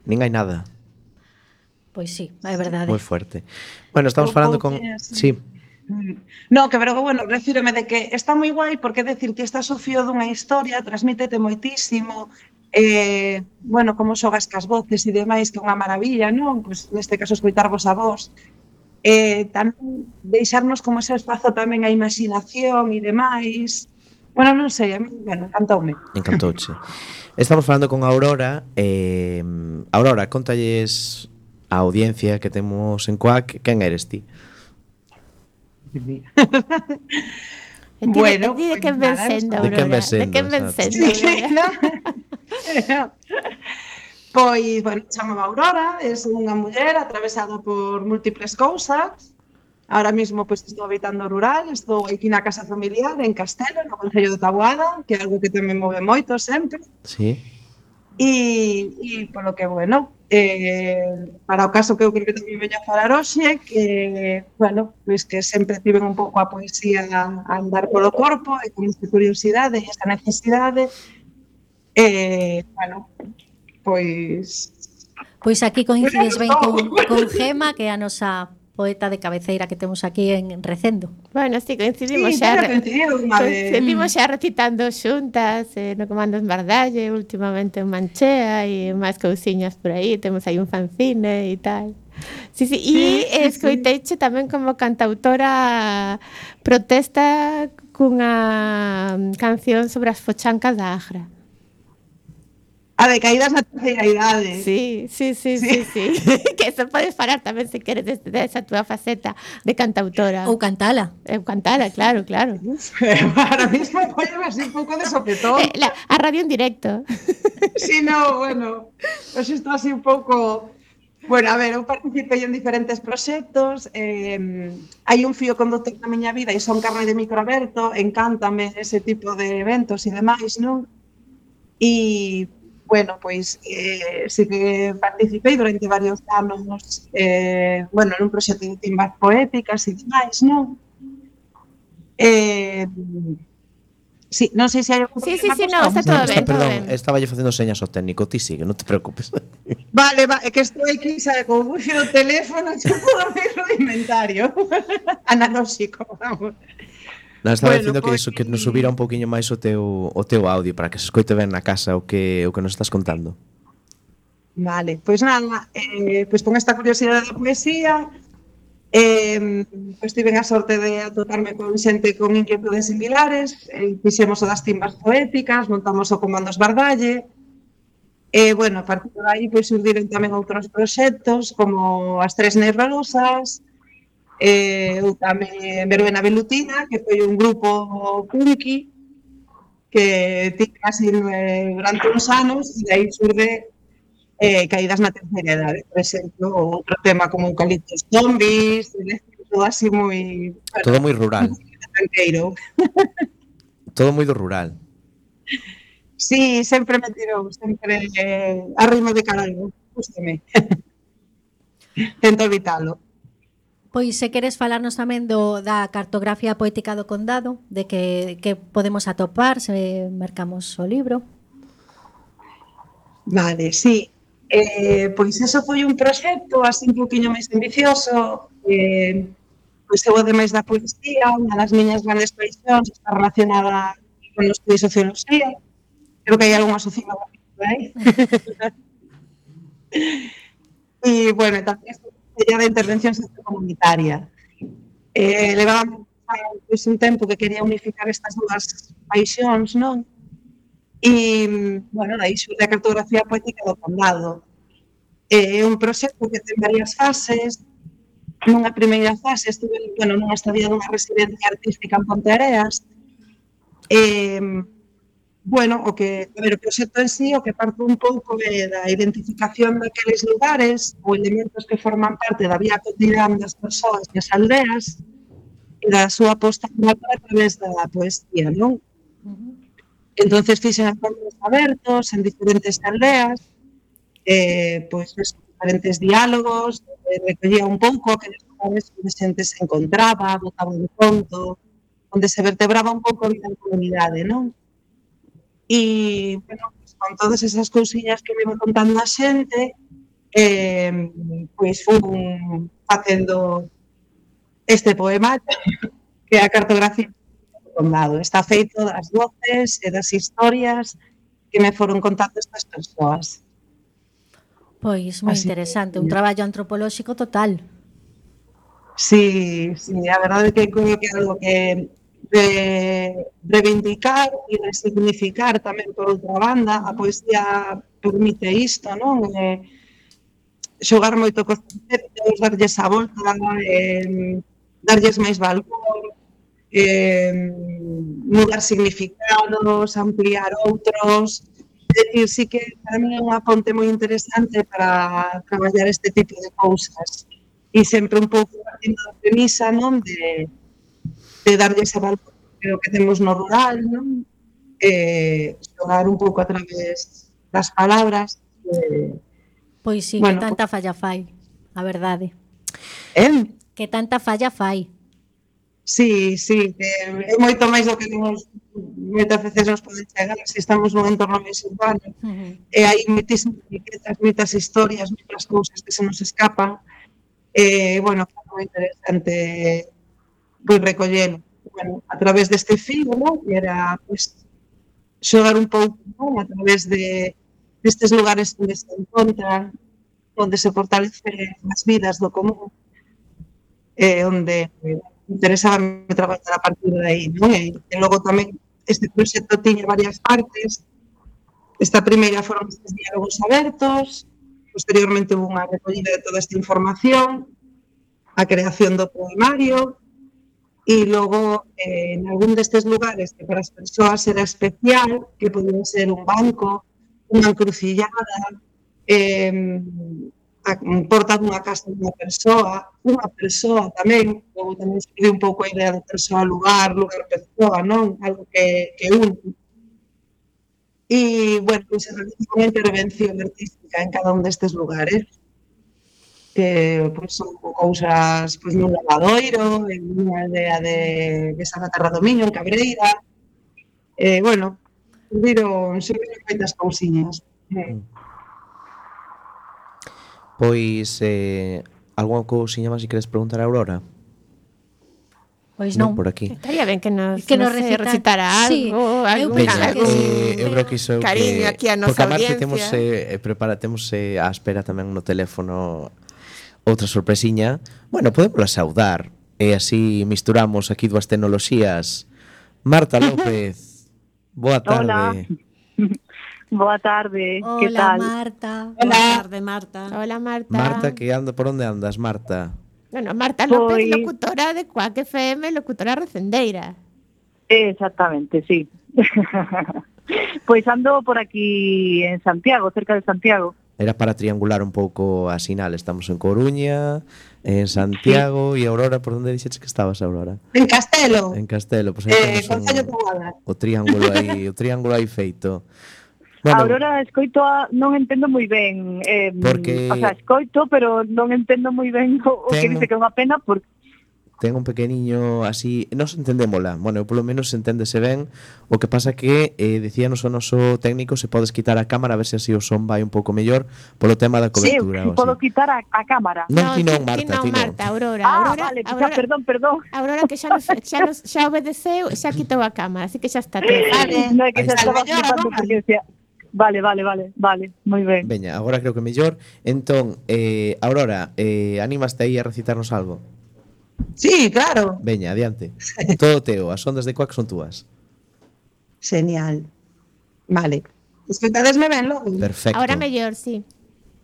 Speaker 4: nin hai nada.
Speaker 1: Pois sí, é verdade.
Speaker 4: Moi fuerte. Bueno, estamos falando con... Sí.
Speaker 9: No, que bueno, refírome de que está moi guai porque decir que estás o fío dunha historia, transmítete moitísimo, bueno, como xogas cas voces e demais, que é unha maravilla, non? Pois neste caso escoitarvos a vos. Tamén deixarnos como ese espazo tamén a imaginación e demais. Bueno, non sei, a mí, bueno, encantoume.
Speaker 4: Encantouche. Estamos falando con Aurora. Aurora, contalles a audiencia que temos en Coac, quen eres ti?
Speaker 9: Bueno,
Speaker 6: de quen ven sendo, Aurora? De quen ven sendo?
Speaker 9: Pois, bueno, chamaba Aurora, é unha muller atravesada por múltiples cousas. Ahora mismo pois estou habitando rural, estou aquí na casa familiar en Castelo, no concello de Taboada, que é algo que tamén move moito sempre.
Speaker 4: Sí.
Speaker 9: E polo que, bueno, para o caso que eu creo que tamén veño a falar hoxe, que, bueno, pois que sempre tiven un pouco a poesía a andar polo corpo, e con esta curiosidade e esta necesidade, bueno, pois...
Speaker 1: Pois aquí coincides ben con Gema, que é a nosa poeta de cabeceira que temos aquí en Recendo.
Speaker 6: Bueno, sí, coincidimos
Speaker 9: Sí,
Speaker 6: xa.
Speaker 9: coincidimos
Speaker 6: xa recitando xuntas no Comando en Bardalle, últimamente en Manchea e máis cousiñas por aí, temos aí un fanzine e tal. Sí, e escoiteiche tamén como cantautora protesta cunha canción sobre as fochancas da Agra.
Speaker 9: A de caídas na terceira idade.
Speaker 6: Sí. Que eso podes falar tamén se queres desa túa faceta de cantautora.
Speaker 1: Ou cantala.
Speaker 6: Cantala, claro.
Speaker 9: Ahora mismo voy así un pouco de sopetón.
Speaker 6: A radio en directo.
Speaker 9: Sí, no, bueno, pues isto así un pouco... Bueno, a ver, eu participei en diferentes proxectos, hai un fío conductor na miña vida e son carne de micro aberto, encántame ese tipo de eventos e demais, non? E... Bueno, pois sí que participei durante varios anos, bueno, nun proxecto de timbas poéticas e demais, non? Sí, non sei se hai...
Speaker 6: Sí, non, está todo ben, todo
Speaker 4: Perdón,
Speaker 6: ben.
Speaker 4: estaba lle facendo señas ao técnico, ti sigue, non te preocupes.
Speaker 9: Vale, é que estou aquí, sabe, con o wifi do teléfono, xa podo ver o inventario. Analóxico, vamos.
Speaker 4: Non, estaba
Speaker 9: Bueno,
Speaker 4: dicindo que
Speaker 9: pois-
Speaker 4: iso, que nos subira un poquinho máis o teu audio para que se escoite ben na casa o que nos estás contando.
Speaker 9: Vale, pois nada, pois con esta curiosidade da poesía, pois tiven a sorte de atoparme con xente con inquietudes similares, fixemos o das timbas poéticas, montamos o Comandos Bardalle, e, bueno, a partir de aí, pois surdiron tamén outros proxectos, como as Tres Nervalosas, eu tamén Verbena Velutina, que foi un grupo punky, que tive así durante uns anos, e aí surde caídas na terceira idade, por exemplo, outro tema como Eucaliptos Zombies, todo así moi...
Speaker 4: Todo moi rural.
Speaker 9: Tranqueiro.
Speaker 4: Todo moi do rural.
Speaker 9: Sí, sempre me tirou, sempre arrimo de caralho, gústame. Tento evitalo.
Speaker 1: Pois se queres falarnos tamén da cartografía poética do condado, de que podemos atopar se mercamos o libro.
Speaker 9: Vale, sí. Pois eso foi un proxecto así un poquinho máis ambicioso. Pois eu, ademais da poesía, unha das miñas grandes paixóns está relacionada con os estudios de socioloxía. Creo que hai algunha socióloga por aí. E, bueno, tamén sería de intervención sociocomunitaria. Levaba pois, un tempo que quería unificar estas dúas paixóns, non? E, bueno, daí xurde a cartografía poética do condado. É un proxecto que ten varias fases. Nunha primeira fase estuve, bueno, nunha estadía dunha residencia artística en Ponteareas. Bueno, o proxecto en sí, o que parte un pouco da identificación daqueles lugares ou elementos que forman parte da vida cotidiana das persoas e as aldeas e da súa posta a través da poesía, non? Entonces fixen encontros abertos en diferentes aldeas, pois diferentes diálogos, recollía un pouco aqueles lugares onde a xente se encontraba, botaba un conto, onde se vertebraba un pouco a vida en comunidade, non? E, bueno, pues, con todas esas cousiñas que me iba contando a xente, pois fui facendo este poema que é a cartografía do condado. Está feito das voces e das historias que me foron contando estas persoas.
Speaker 1: Pois moi interesante, un traballo antropolóxico total.
Speaker 9: Sí, a verdade é que creo que é algo que reivindicar e resignificar tamén por outra banda. A poesía permite isto, non? Xogar moito cos conceptos, darlles a volta, darlles máis valor, mudar significados, ampliar outros. É dicir, sí que para mí é unha ponte moi interesante para traballar este tipo de cousas. E sempre un pouco partindo da premisa, non? De darlle ese valor que temos no rural, non? Xogar un pouco a través das palabras.
Speaker 1: Pois sí, bueno, que tanta falla fai, a verdade. Que tanta falla fai.
Speaker 9: Sí, que é moito máis do que moitas veces nos poden chegar se estamos nun entorno máis urbano. E hai moitísimas riquezas, moitas historias, moitas cousas que se nos escapan. Bueno, é moi interesante pois recollelo, bueno, a través deste filo, non? Que era, pois, xogar un pouco, non? A través destes lugares onde se encontran, onde se fortalecen as vidas do común, onde interesaba traballar a partir de aí, non? E logo tamén este proxecto tiña varias partes. Esta primeira foron estes diálogos abertos, posteriormente hubo unha recollida de toda esta información, a creación do poemario. E logo, en algún destes lugares que para as persoas era especial, que podía ser un banco, unha encrucillada, a porta dunha casa dunha persoa tamén, logo tamén escribí un pouco a idea de persoa-lugar, lugar-persoa, non? Algo que une. E, bueno, pois se realiza unha intervención artística en cada un destes lugares, que pois, son cousas pois, nun lavadoiro, en unha aldea de Santa Terra do Miño, en Cabreira. Bueno, viron moitas cousiñas.
Speaker 4: Pois, algunha cousiña máis que queres preguntar a Aurora?
Speaker 1: Pois non.
Speaker 4: Por aquí.
Speaker 6: Estaría ben que nos
Speaker 1: algo,
Speaker 6: recitara
Speaker 1: sí,
Speaker 6: algo,
Speaker 4: eu creo que iso
Speaker 6: cariño aquí a nosa
Speaker 4: audiencia.
Speaker 6: Porque
Speaker 4: a temos á espera tamén no teléfono outra sorpresiña. Bueno, podemos saudar e así misturamos aquí dúas tecnoloxías. Marta López, boa tarde.
Speaker 10: Boa tarde,
Speaker 1: hola,
Speaker 10: que tal?
Speaker 1: Marta.
Speaker 7: Boa tarde, Marta.
Speaker 6: Hola, Marta.
Speaker 4: Marta, por onde andas, Marta?
Speaker 6: Bueno, Marta López, locutora de Cuac FM, locutora recendeira.
Speaker 10: Exactamente, sí. Pois ando por aquí en Santiago, cerca de Santiago.
Speaker 4: Era para triangular un pouco a sinal. Estamos en Coruña, en Santiago e Aurora, por onde dixetes que estabas, Aurora?
Speaker 9: En Castelo.
Speaker 4: En Castelo, pois aí temos
Speaker 9: Concello de Guadalajara.
Speaker 4: o triángulo aí feito.
Speaker 10: Bueno, Aurora, escoito non entendo moi ben.
Speaker 4: Porque...
Speaker 10: O sea, escoito, pero non entendo moi ben o que dice que é unha pena porque
Speaker 4: ten un pequeniño así, nos entendémola. Bueno, polo menos enténdese ben. O que pasa que decíanos o noso técnico se podes quitar a cámara a ver se así o son vai un pouco mellor polo tema da cobertura.
Speaker 10: Sí, podo quitar a cámara.
Speaker 4: Non, ti non, Marta, ti non.
Speaker 6: Aurora.
Speaker 10: Vale, Aurora, perdón.
Speaker 6: Aurora que xa obedeceu, xa quitou a cámara, así que xa está todo.
Speaker 10: Vale, non é que xa estaba flipando porque decía... Vale, moi ben.
Speaker 4: Veña, agora creo que mellor. Entón, Aurora, animaste aí a recitarnos algo?
Speaker 9: Sí, claro.
Speaker 4: Veña, adiante. Todo teo, as ondas de Cuac son túas.
Speaker 9: Genial. Vale. Escoitadesme ben logo?
Speaker 4: Perfecto.
Speaker 6: Ahora mellor, sí.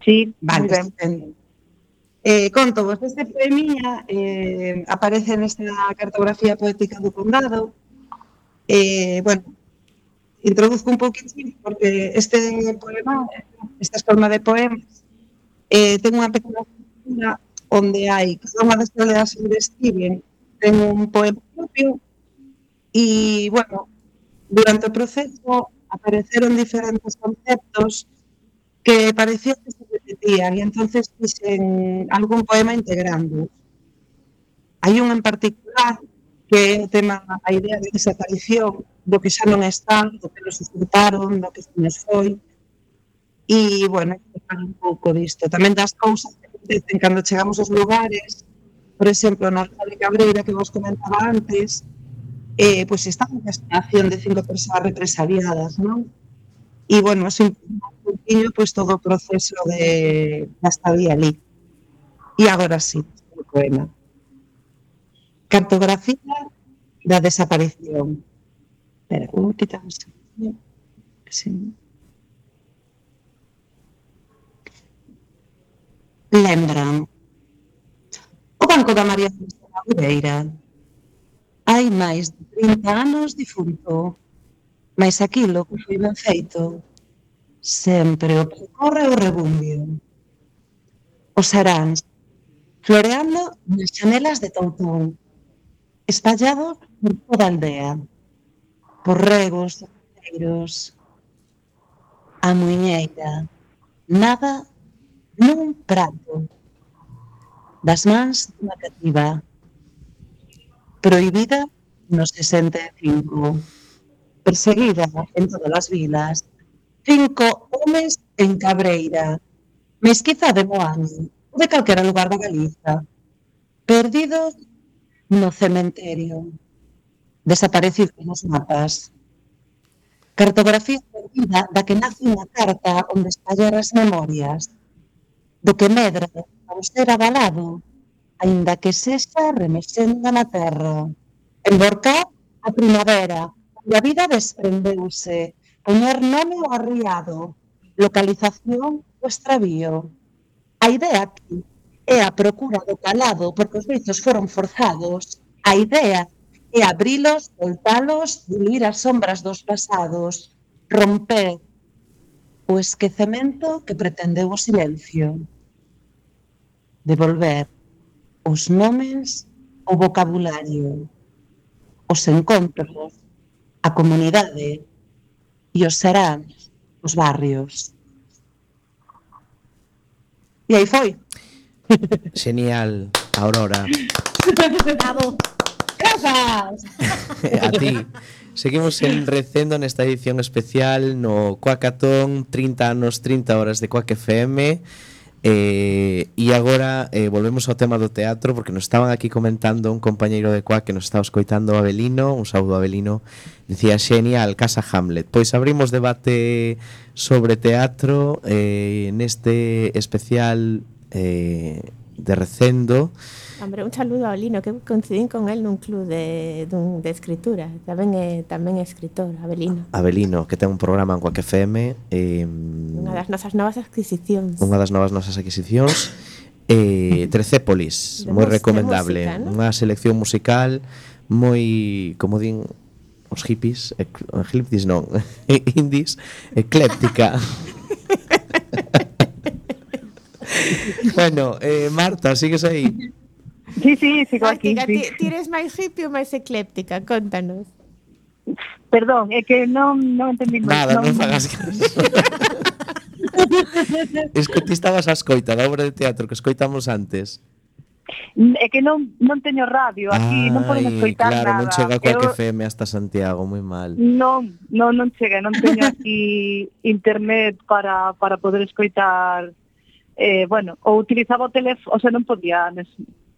Speaker 10: Sí,
Speaker 9: vale, estupendo. Conto vos, este poemilla aparece nesta cartografía poética do Condado. Bueno, introduzco un poquinho porque este poema, esta forma de poemas, ten unha pequena estructura onde hai cada unha das toledas que describen ten un poema propio e, bueno, durante o proceso apareceron diferentes conceptos que parecía que se repetían e entonces fixen algún poema integrando. Hai un en particular que é o tema, a idea de desaparición do que xa non está, do que nos disfrutaron, do que se nos foi. E, bueno, hai que falar un pouco disto. Tamén das cousas que acontecen cando chegamos aos lugares, por exemplo, na Alfa de Cabreira, que vos comentaba antes, pois está unha estación de 5 persoas represaliadas, non? E, bueno, é un pouquinho pois, todo o proceso de estadía ali. E agora sí, o poema. Cartografía da desaparición. Espera, como quitamos? Sí. Lembran o Banco da María de Madureira. Hai máis de 30 anos difunto, mas aquilo que foi ben feito sempre o percorre o rebumbio. Os aráns floreando nas xanelas de Toutón, espallados por toda a aldea, por regos, coteiros, a muiñeira, nada nun prato, das mans dunha cativa, prohibida no 65, perseguida en todas as vilas, 5 homes en Cabreira, mesquiza de Moaño, ou de calquera lugar da Galiza, perdidos no cementerio, desaparecidos nos mapas. Cartografía perdida da que nace unha carta onde espallar as memorias, do que medra ao ser avalado, aínda que sexa remexenda na terra. Emborcar a primavera, onde a vida desprendeuse, poñer nome ao arriado, localización o extravío. A idea aquí é a procura do calado porque os beitos foron forzados. A idea é abrilos, voltalos, diluir as sombras dos pasados, romper o esquecemento que pretendeu o silencio. Devolver os nomes, o vocabulario, os encontros, a comunidade e os seráns, os barrios. E aí foi.
Speaker 4: Genial, Aurora.
Speaker 1: Bravo.
Speaker 9: Grazas.
Speaker 4: A ti. Seguimos en Recendo nesta edición especial no Cuacatón, 30 anos, 30 horas de Cuac FM. E agora volvemos ao tema do teatro, porque nos estaban aquí comentando un compañeiro de Cuac que nos estaba escoitando, Abelino, un saúdo Abelino, dicía genial, Casa Hamlet. Pois abrimos debate sobre teatro neste especial de Recendo.
Speaker 6: Hombre, un saludo a Abelino, que coincidín con él nun club de escritura. Tamén é escritor, Abelino.
Speaker 4: Abelino, que ten un programa en Cuac FM.
Speaker 6: Unha das nosas novas adquisicións.
Speaker 4: Trecépolis, moi recomendable.
Speaker 6: Música, ¿no?
Speaker 4: Unha selección musical moi, como din os hippies, indies, ecléptica. Bueno, Marta, sigues aí?
Speaker 10: Sí, sigo aquí.
Speaker 6: Ti eres máis hippie ou máis ecléptica? Contanos.
Speaker 10: Perdón, é que non entendí moito.
Speaker 4: Nada, non fagas caso. Es que ti estabas a escoita da obra de teatro que escoitamos antes.
Speaker 10: É que non teño radio aquí, non podemos escoitar
Speaker 4: claro,
Speaker 10: nada.
Speaker 4: non chega Quack FM hasta Santiago, moi mal.
Speaker 10: Non chega, non teño aquí internet para poder escoitar, ou utilizaba o teléfono, o sea, non podía,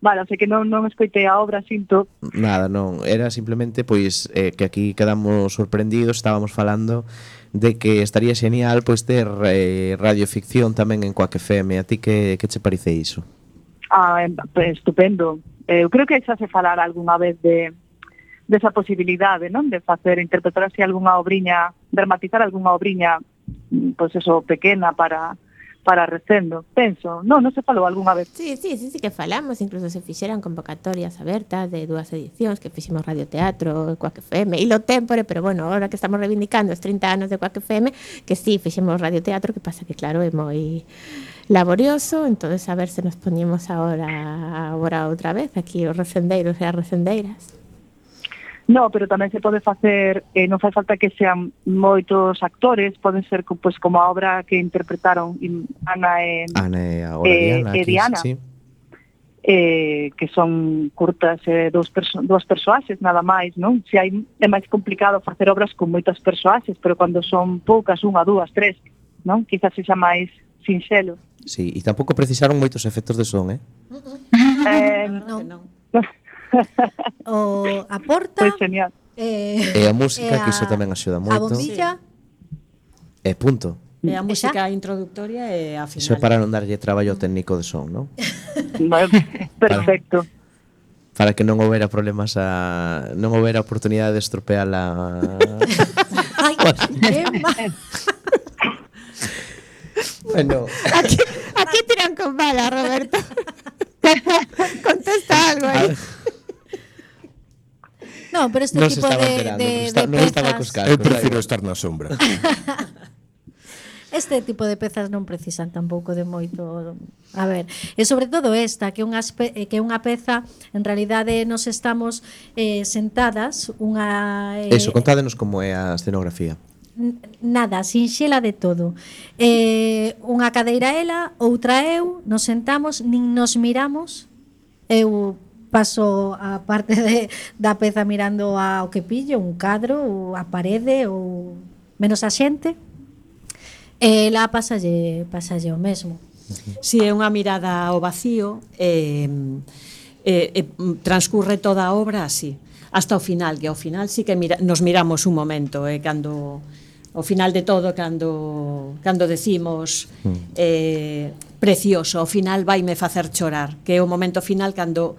Speaker 10: vale, o sea que non escoitei a obra, sinto.
Speaker 4: Nada, non, era simplemente pois que aquí quedamos sorprendidos, estábamos falando de que estaría genial pois ter radioficción tamén en Quack FM. A ti que che parece iso?
Speaker 10: Pues estupendo. Eu creo que xa se falar algunha vez desa posibilidade, non? De facer, interpretar así algunha obriña, dramatizar algunha obriña, pois eso, pequena para recendo, penso. Non se falou algunha vez.
Speaker 6: Sí que falamos, incluso se fixeran convocatorias abertas de 2 edicións que fixemos radioteatro, Quack FM, e lo tempore, pero bueno, ahora que estamos reivindicando os 30 anos de Quack FM, que sí, fixemos radioteatro, que pasa que claro, é moi laborioso, entonces a ver se nos poñemos agora outra vez aquí os recendeiros e as recendeiras.
Speaker 10: No, pero tamén se pode facer, non fai falta que sean moitos actores, poden ser pois como a obra que interpretaron Ana e Diana,
Speaker 4: sí.
Speaker 10: Que son curtas, dúas persoaxes nada máis, non? Se é máis complicado facer obras con moitas persoaxes, pero cando son poucas, 1, 2, 3, non? Quizás sexa máis sinxelo.
Speaker 4: Sí, e tampouco precisaron moitos efectos de son,
Speaker 1: Non. O a porta
Speaker 10: Pois genial.
Speaker 4: E a música, que iso tamén axuda moito.
Speaker 1: A bombilla
Speaker 4: E punto.
Speaker 7: E a música introductoria e a final.
Speaker 4: Iso é para non darlle traballo ao técnico de son, non?
Speaker 10: Perfecto.
Speaker 4: Para que non houbera problemas non houbera oportunidade de estropear a...
Speaker 1: Ai, que mal.
Speaker 4: Bueno,
Speaker 6: Aquí tiran con bala, Roberto. Contesta algo aí.
Speaker 1: No, pero este
Speaker 4: non se
Speaker 1: tipo
Speaker 4: estaba
Speaker 1: de
Speaker 4: enterando, non estaba cos
Speaker 1: pezas,
Speaker 4: cascos.
Speaker 5: Eu prefiro estar na sombra.
Speaker 1: este tipo de pezas non precisan tampouco de moito. A ver, e sobre todo esta, que é unha peza, en realidade nos estamos sentadas, unha
Speaker 4: Eso, contádenos como é a escenografía.
Speaker 1: Nada, sinxela de todo. Unha cadeira ela, outra eu, nos sentamos, nin nos miramos. Eu paso a parte da peza mirando ao que pillo, un cadro, ou a parede, ou menos a xente. Ela pasalle o mesmo.
Speaker 7: Si é unha mirada ao vacío, transcurre toda a obra así, hasta o final, que ao final sí que nos miramos un momento, cando ao final de todo, cando decimos precioso, ao final vaime facer chorar, que é o momento final cando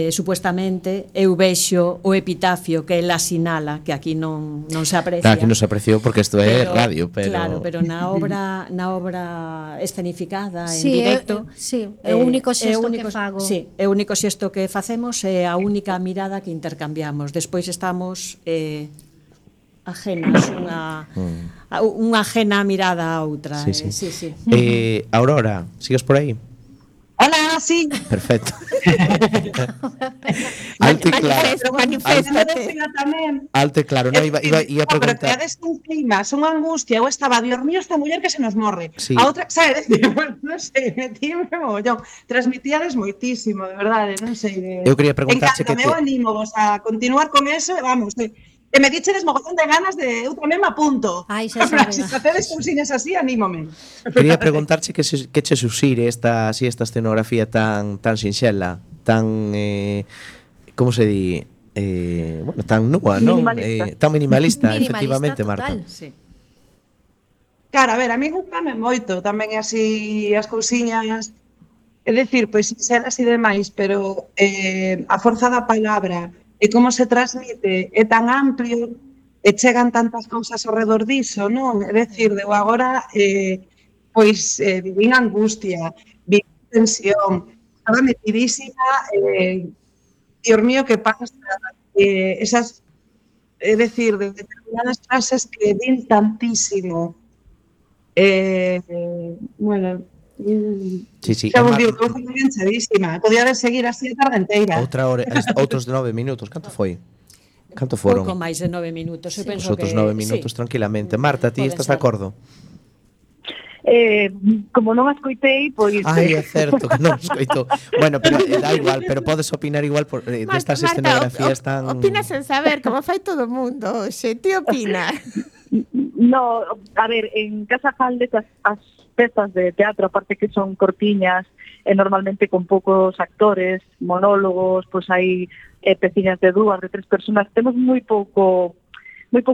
Speaker 7: supuestamente eu vexo o epitafio que ela sinala, que aquí non se aprecia.
Speaker 4: Claro, aquí non se apreciou porque isto é radio, pero...
Speaker 7: Claro, pero na obra escenificada en
Speaker 1: sí,
Speaker 7: directo,
Speaker 1: é o único xesto que fago.
Speaker 7: Sí, é o único xesto que facemos, é a única mirada que intercambiamos. Despois estamos ajenas, unha ajena mirada a outra.
Speaker 4: Sí.
Speaker 7: Sí.
Speaker 4: Aurora, sigues por aí?
Speaker 9: Hola, sí.
Speaker 4: Perfecto. Alto e claro.
Speaker 6: Maniféstate.
Speaker 4: Alto e claro, non iba a preguntar.
Speaker 9: Pero que un clima, unha angustia. Eu estaba, Dios mío, esta muller que se nos morre.
Speaker 4: Sí.
Speaker 9: A outra, sabes? Bueno, non sei, metíme mogollón. Transmitíades moitísimo, de verdade, non sei.
Speaker 4: Eu quería preguntarche que
Speaker 9: eu animo vos a continuar con eso, vamos, e me dichedes mogollón de ganas de eu tamén me apunto.
Speaker 1: Ai, xa sabes.
Speaker 9: Se facedes cousiñas así, anímome.
Speaker 4: Quería preguntarche que che susire esta escenografía tan sinxela, tan como se di, bueno, tan nua, non? Tan minimalista, efectivamente,
Speaker 1: total.
Speaker 4: Marta.
Speaker 7: Sí.
Speaker 9: Claro, a ver, a mí gustame moito tamén así as cousiñas, é dicir, pois sinxelas e demais, pero a forza da palabra e como se transmite é tan amplio e chegan tantas cousas ao redor diso, non? É dicir, eu agora pois vivín angustia, vivín tensión, estaba metidísima, Dios mío, que pasa, esas, é dicir, de determinadas frases que din tantísimo. Bueno,
Speaker 4: Sí,
Speaker 9: Xa vos digo que eu fui enganchadísima. Podía seguir así a tarde inteira.
Speaker 4: outra hora, outros de 9 minutos, canto foi? Canto foron?
Speaker 7: Pouco máis de 9 minutos, eu penso
Speaker 4: Os outros
Speaker 7: que
Speaker 4: 9 minutos tranquilamente. Marta, ti
Speaker 7: pode
Speaker 4: estás de
Speaker 7: ser.
Speaker 4: acordo?
Speaker 10: Como non a escoitei, pois...
Speaker 4: Ai, é certo que non escoito. Bueno, pero da igual, pero podes opinar igual por destas escenografías tan...
Speaker 6: Opina sen saber, como fai todo o mundo. Xe, ti opina.
Speaker 10: No, a ver, en Casa Jalde as pezas de teatro, aparte que son cortiñas, normalmente con poucos actores, monólogos, pois hai peciñas de 2, de 3 personas, temos moi pouco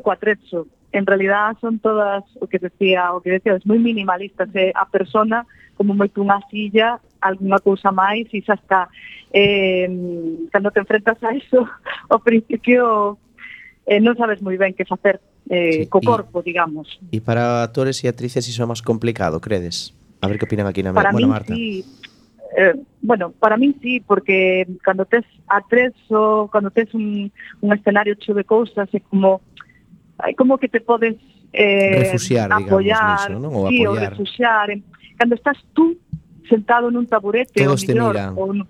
Speaker 10: atrezo. En realidad son todas o que decía, es moi minimalistas, a persona como moito unha silla, alguna cousa máis, e xa está. Cando te enfrentas a eso, ao principio non sabes moi ben que facer co corpo, digamos.
Speaker 4: E para actores e actrices iso é máis complicado, credes? A ver que opinan aquí na
Speaker 10: Para
Speaker 4: bueno,
Speaker 10: min
Speaker 4: Marta.
Speaker 10: sí. Para min sí, porque cando tes atrezo, cando tes un escenario cheo de cousas, é como que te podes
Speaker 4: refuxiar,
Speaker 10: apoyar,
Speaker 4: digamos, niso, non? Ou
Speaker 10: sí, ou
Speaker 4: apoiar.
Speaker 10: refuxiar. Cando estás tú sentado nun taburete,
Speaker 4: Todos
Speaker 10: ou
Speaker 4: te
Speaker 10: mellor,
Speaker 4: miran.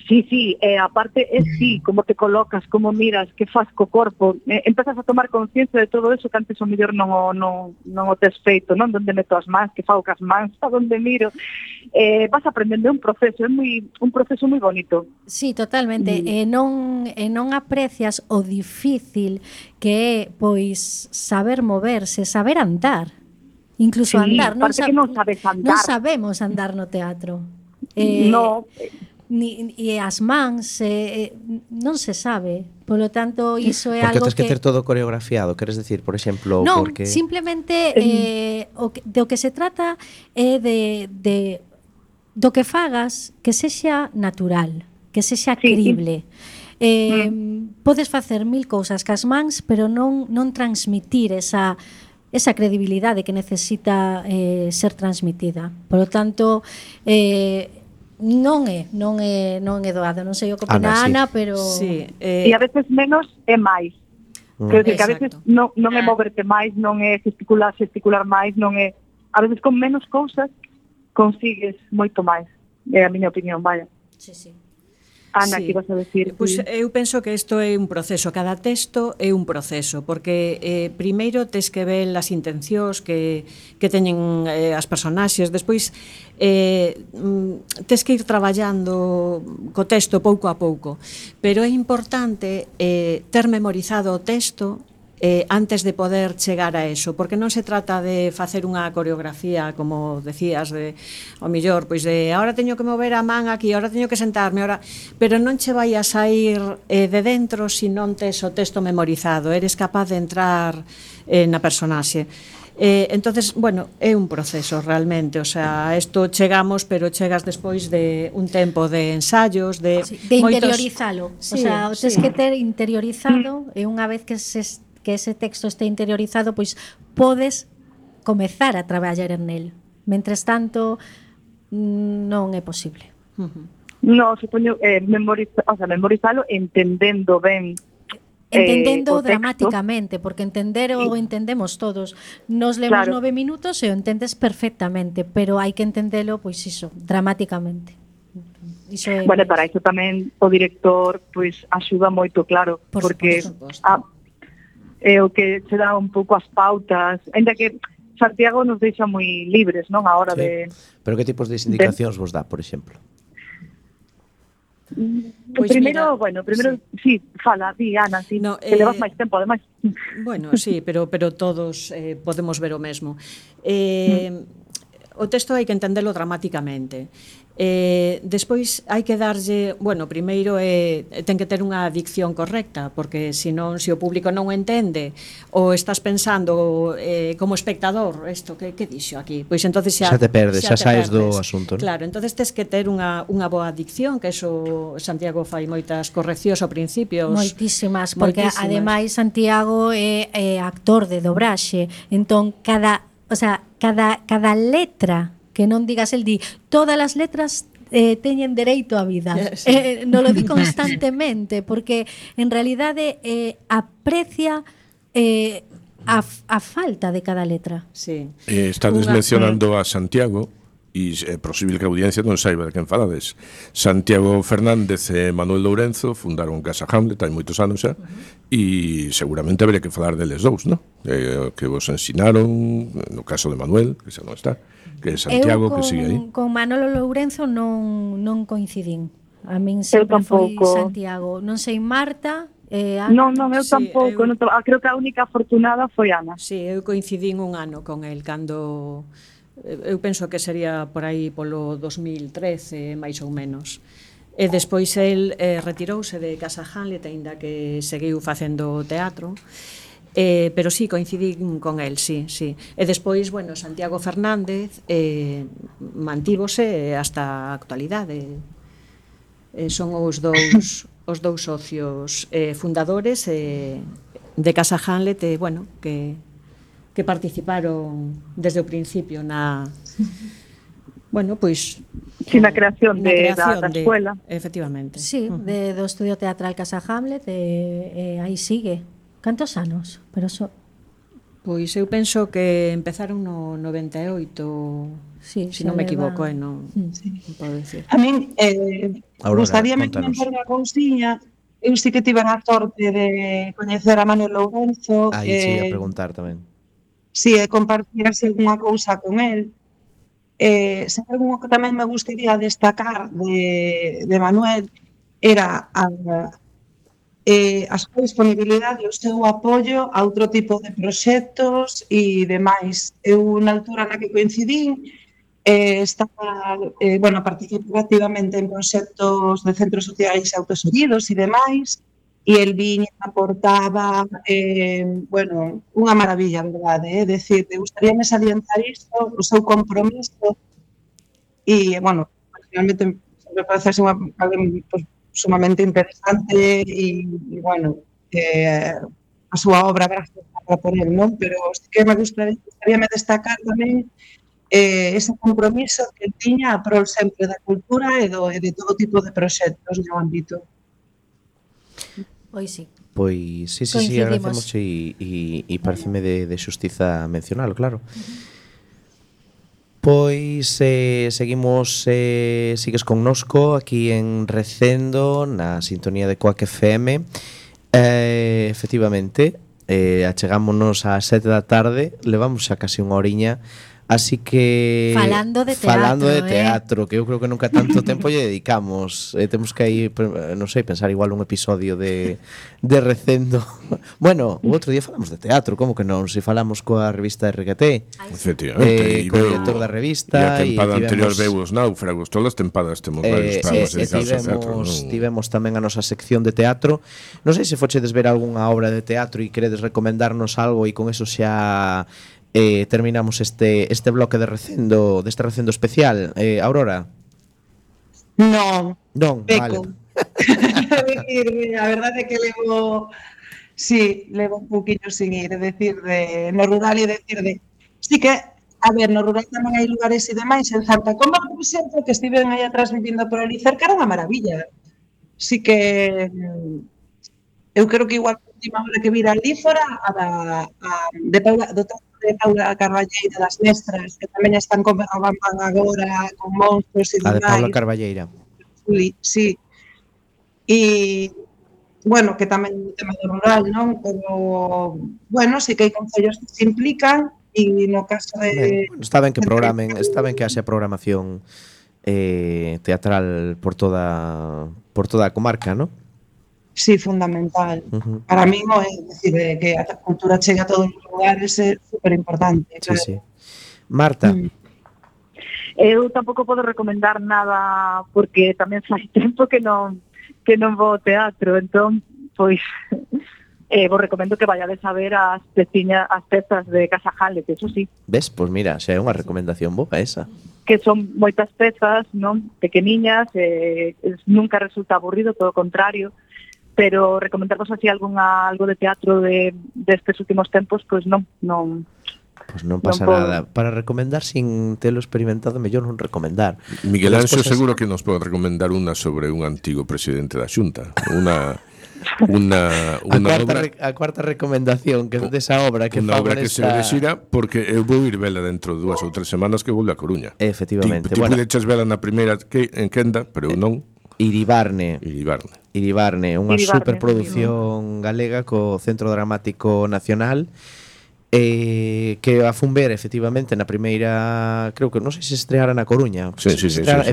Speaker 10: Sí, aparte sí, como te colocas, como miras, que faz co corpo, empezas a tomar conciencia de todo eso que antes o mellor non o tes feito, non? Donde meto as mans, que fago cas mans, a donde miro. Vas aprendendo un proceso, é un proceso moi bonito.
Speaker 1: Sí, totalmente. E non aprecias o difícil que é pois saber moverse, saber andar. Incluso
Speaker 10: Sí,
Speaker 1: andar,
Speaker 10: parte que non sabes andar.
Speaker 1: Non sabemos andar no teatro.
Speaker 10: No,
Speaker 1: e as mans non se sabe. Polo tanto, iso é
Speaker 4: Porque
Speaker 1: algo
Speaker 4: tens que ter todo coreografiado, queres decir, por exemplo,
Speaker 1: non,
Speaker 4: porque
Speaker 1: simplemente do que se trata é do que fagas que sexa natural, que sexa crible. Podes facer 1000 cousas cas mans, pero non transmitir esa credibilidade que necesita ser transmitida. Por lo tanto, non é doado. Non sei o que opina Ana, pero
Speaker 7: Sí,
Speaker 10: e a veces menos é máis. Quero dicir que a veces
Speaker 7: Exacto.
Speaker 10: non é moverte máis, non é gesticular máis, non é... A veces con menos cousas consigues moito máis. É a miña opinión, vaya.
Speaker 1: sí.
Speaker 10: Ana,
Speaker 7: Sí.
Speaker 10: que ibas a decir?
Speaker 7: Pois eu penso que isto é un proceso, cada texto é un proceso, porque primeiro tes que ver as intencións que teñen as personaxes, despois tes que ir traballando co texto pouco a pouco, pero é importante ter memorizado o texto antes de poder chegar a eso, porque non se trata de facer unha coreografía, como decías, de ao millor, pois de ahora teño que mover a man aquí, ahora teño que sentarme, ahora, pero non che vai a sair de dentro se non tes o texto memorizado, eres capaz de entrar na personaxe. Entonces, bueno, é un proceso realmente, o sea, isto chegamos, pero chegas despois de un tempo de ensayos, de
Speaker 1: interiorizalo.
Speaker 7: Sí,
Speaker 1: o sea, o tes
Speaker 7: sí.
Speaker 1: que ter interiorizado e unha vez que ese texto este interiorizado, pois podes comezar a traballar en él. Mentres tanto, non é posible.
Speaker 10: No, supoño memorizalo entendendo ben.
Speaker 1: Entendendo
Speaker 10: o texto.
Speaker 1: dramáticamente, porque entender o entendemos todos. Nos lemos
Speaker 10: Claro.
Speaker 1: 9 minutos e o entendes perfectamente, pero hai que entendelo, pois iso, dramáticamente. Iso é
Speaker 10: Bueno, para iso tamén o director pois axuda moito, claro,
Speaker 1: Por
Speaker 10: porque
Speaker 1: suposto.
Speaker 10: é o que se dá un pouco as pautas, ainda que Santiago nos deixa moi libres, non, a hora
Speaker 4: Sí.
Speaker 10: de...
Speaker 4: Pero que tipos de indicacións vos dá, por exemplo?
Speaker 7: Pois
Speaker 10: primeiro,
Speaker 7: mira,
Speaker 10: sí, fala, di, Ana, sí,
Speaker 7: No,
Speaker 10: que levas máis tempo, ademais.
Speaker 7: Bueno, sí, pero todos podemos ver o mesmo. O texto hai que entendelo dramáticamente. Despois hai que darlle, bueno, primeiro ten que ter unha dicción correcta, porque senón, se o público non o entende ou estás pensando como espectador, isto que dixo aquí, pois entonces xa
Speaker 4: Xa te perdes, xa
Speaker 7: te
Speaker 4: saes do
Speaker 7: perdes.
Speaker 4: asunto, non?
Speaker 7: Claro, entonces tes que ter unha boa dicción, que eso Santiago fai moitas correccións ao principio.
Speaker 1: Moitísimas, porque
Speaker 7: Moitísimas.
Speaker 1: ademais Santiago é actor de dobraxe, entón cada letra que non digas, el di, todas as letras teñen dereito á vida.
Speaker 7: Sí.
Speaker 1: Non lo di constantemente, porque en realidade aprecia a falta de cada letra.
Speaker 7: Sí.
Speaker 5: Estades
Speaker 7: Unha-
Speaker 5: mencionando a Santiago, E é posible que a audiencia non saiba de quen falades. Santiago Fernández e Manuel Lourenzo fundaron Casa Hamlet hai moitos anos xa, e seguramente habería que falar deles dous, non? Que vos ensinaron, no caso de Manuel, que xa non está, que é Santiago, que sigue aí.
Speaker 1: Con Manolo Lourenzo non coincidín. A min sempre foi Santiago. Non sei, Marta...
Speaker 10: Non, eu tampouco. Creo que a única afortunada foi Ana.
Speaker 7: Sí, eu coincidín un ano con el cando... Eu penso que sería por aí polo 2013, máis ou menos. E despois el retirouse de Casa Hamlet, aínda que seguiu facendo teatro. Pero sí, coincidín con el, sí. E despois, bueno, Santiago Fernández mantívose hasta a actualidade. Son os dous socios fundadores de Casa Hamlet, bueno, que participaron desde o principio na... Bueno, pois...
Speaker 10: Sí, na creación da escuela.
Speaker 7: Efectivamente.
Speaker 1: Sí, do Estudio Teatral Casa Hamlet, aí sigue. Cantos anos? Pero
Speaker 7: Pois eu penso que empezaron no 98,
Speaker 1: sí,
Speaker 7: se non me equivoco, non podo dicir.
Speaker 9: A min gustaríame comentar unha cousiña. Eu sí que tive a sorte de coñecer a Manuel Lourenzo.
Speaker 4: Aí sí, a preguntar tamén.
Speaker 9: Si, compartir así alguna cousa con el. Se algo que tamén me gustaría destacar de Manuel era a súa disponibilidade e o seu apoio a outro tipo de proxectos e demais. Eu, na altura na que coincidín, estaba, participaba activamente en proxectos de centros sociais autoseridos e demais, e el viña, aportaba, unha maravilla, verdade, é dicir, gustaríame salientar isto, o seu compromiso, e, finalmente, me parece alguén sumamente interesante, e a súa obra, gracias por el, non? Pero sí que me gustaríame destacar tamén ese compromiso que tiña a prol sempre da cultura e de todo tipo de proxectos no ámbito.
Speaker 1: Pois sí.
Speaker 4: Pois sí, agradecemos e pareceme de xustiza mencionalo, claro. Pois seguimos, sigues connosco aquí en Recendo, na sintonía de Coac FM. Efectivamente, achegámonos ás 7 da tarde, levamos xa casi unha horiña. Así que
Speaker 1: falando de
Speaker 4: teatro, que eu creo que nunca tanto tempo lle dedicamos. Temos que aí, non sei, pensar igual un episodio de Recendo. Bueno, o outro día falamos de teatro, como que non? Se falamos coa revista RQT,
Speaker 5: efectivamente,
Speaker 4: co director da revista,
Speaker 5: e a tempada anterior veu os náufragos, todas as tempadas temos varios programas dedicados ao teatro.
Speaker 4: Tivemos tamén a nosa sección de teatro. Non sei se fochedes ver algunha obra de teatro e queredes recomendarnos algo, e con eso xa terminamos este bloque de Recendo, deste Recendo especial. Aurora?
Speaker 9: Non,
Speaker 4: vale.
Speaker 9: A verdade é que levo un poquinho sin ir, no rural, sí que, a ver, no rural tamén hai lugares e demais, en Santa Comba, por exemplo, que estiven aí atrás vivindo por ali cerca, era unha maravilla. Sí que eu creo que igual a última hora que vira ali fora de Paula Carballeira, das Mestras, que tamén están con Berrobamban agora, con monstros e demais.
Speaker 4: A de Paula Carballeira.
Speaker 9: Sí. E, que tamén é un tema do rural, non? Pero, sí que hai concellos que se implican, e no caso de...
Speaker 4: Está ben que programen, está ben que haxe programación teatral por toda a comarca, non?
Speaker 9: Sí, fundamental. Para mí é decir, que a cultura chegue a todos os lugares é superimportante.
Speaker 4: Sí. Marta?
Speaker 10: Eu tampouco podo recomendar nada porque tamén fai tempo que non vou ao teatro, entón, pois, vos recomendo que vayades a ver as pezas de Casa Hamlet, eso sí.
Speaker 4: Ves? Pois mira, xa é unha recomendación boa esa.
Speaker 10: Que son moitas pezas, non? Pequeniñas, nunca resulta aburrido, todo o contrario. Pero recomendarvos así algo de teatro destes últimos tempos, pois non.
Speaker 4: Pois non pasa nada. Para recomendar sin telo experimentado, mellor non recomendar.
Speaker 5: Miguel Anxo seguro que nos pode recomendar unha sobre un antigo presidente da Xunta. unha obra,
Speaker 4: a cuarta recomendación que desa obra que
Speaker 5: unha
Speaker 4: fago
Speaker 5: obra que se ve de xira, porque eu vou ir vela dentro de 2 ou 3 semanas que volve a Coruña.
Speaker 4: Efectivamente.
Speaker 5: Ti pudeches vela na primeira en Quenda, pero eu non.
Speaker 4: Iribarne, unha
Speaker 10: Iribarne,
Speaker 4: superproducción galega co Centro Dramático Nacional, que a fun ver efectivamente na primeira, creo que non sei se estreara na Coruña.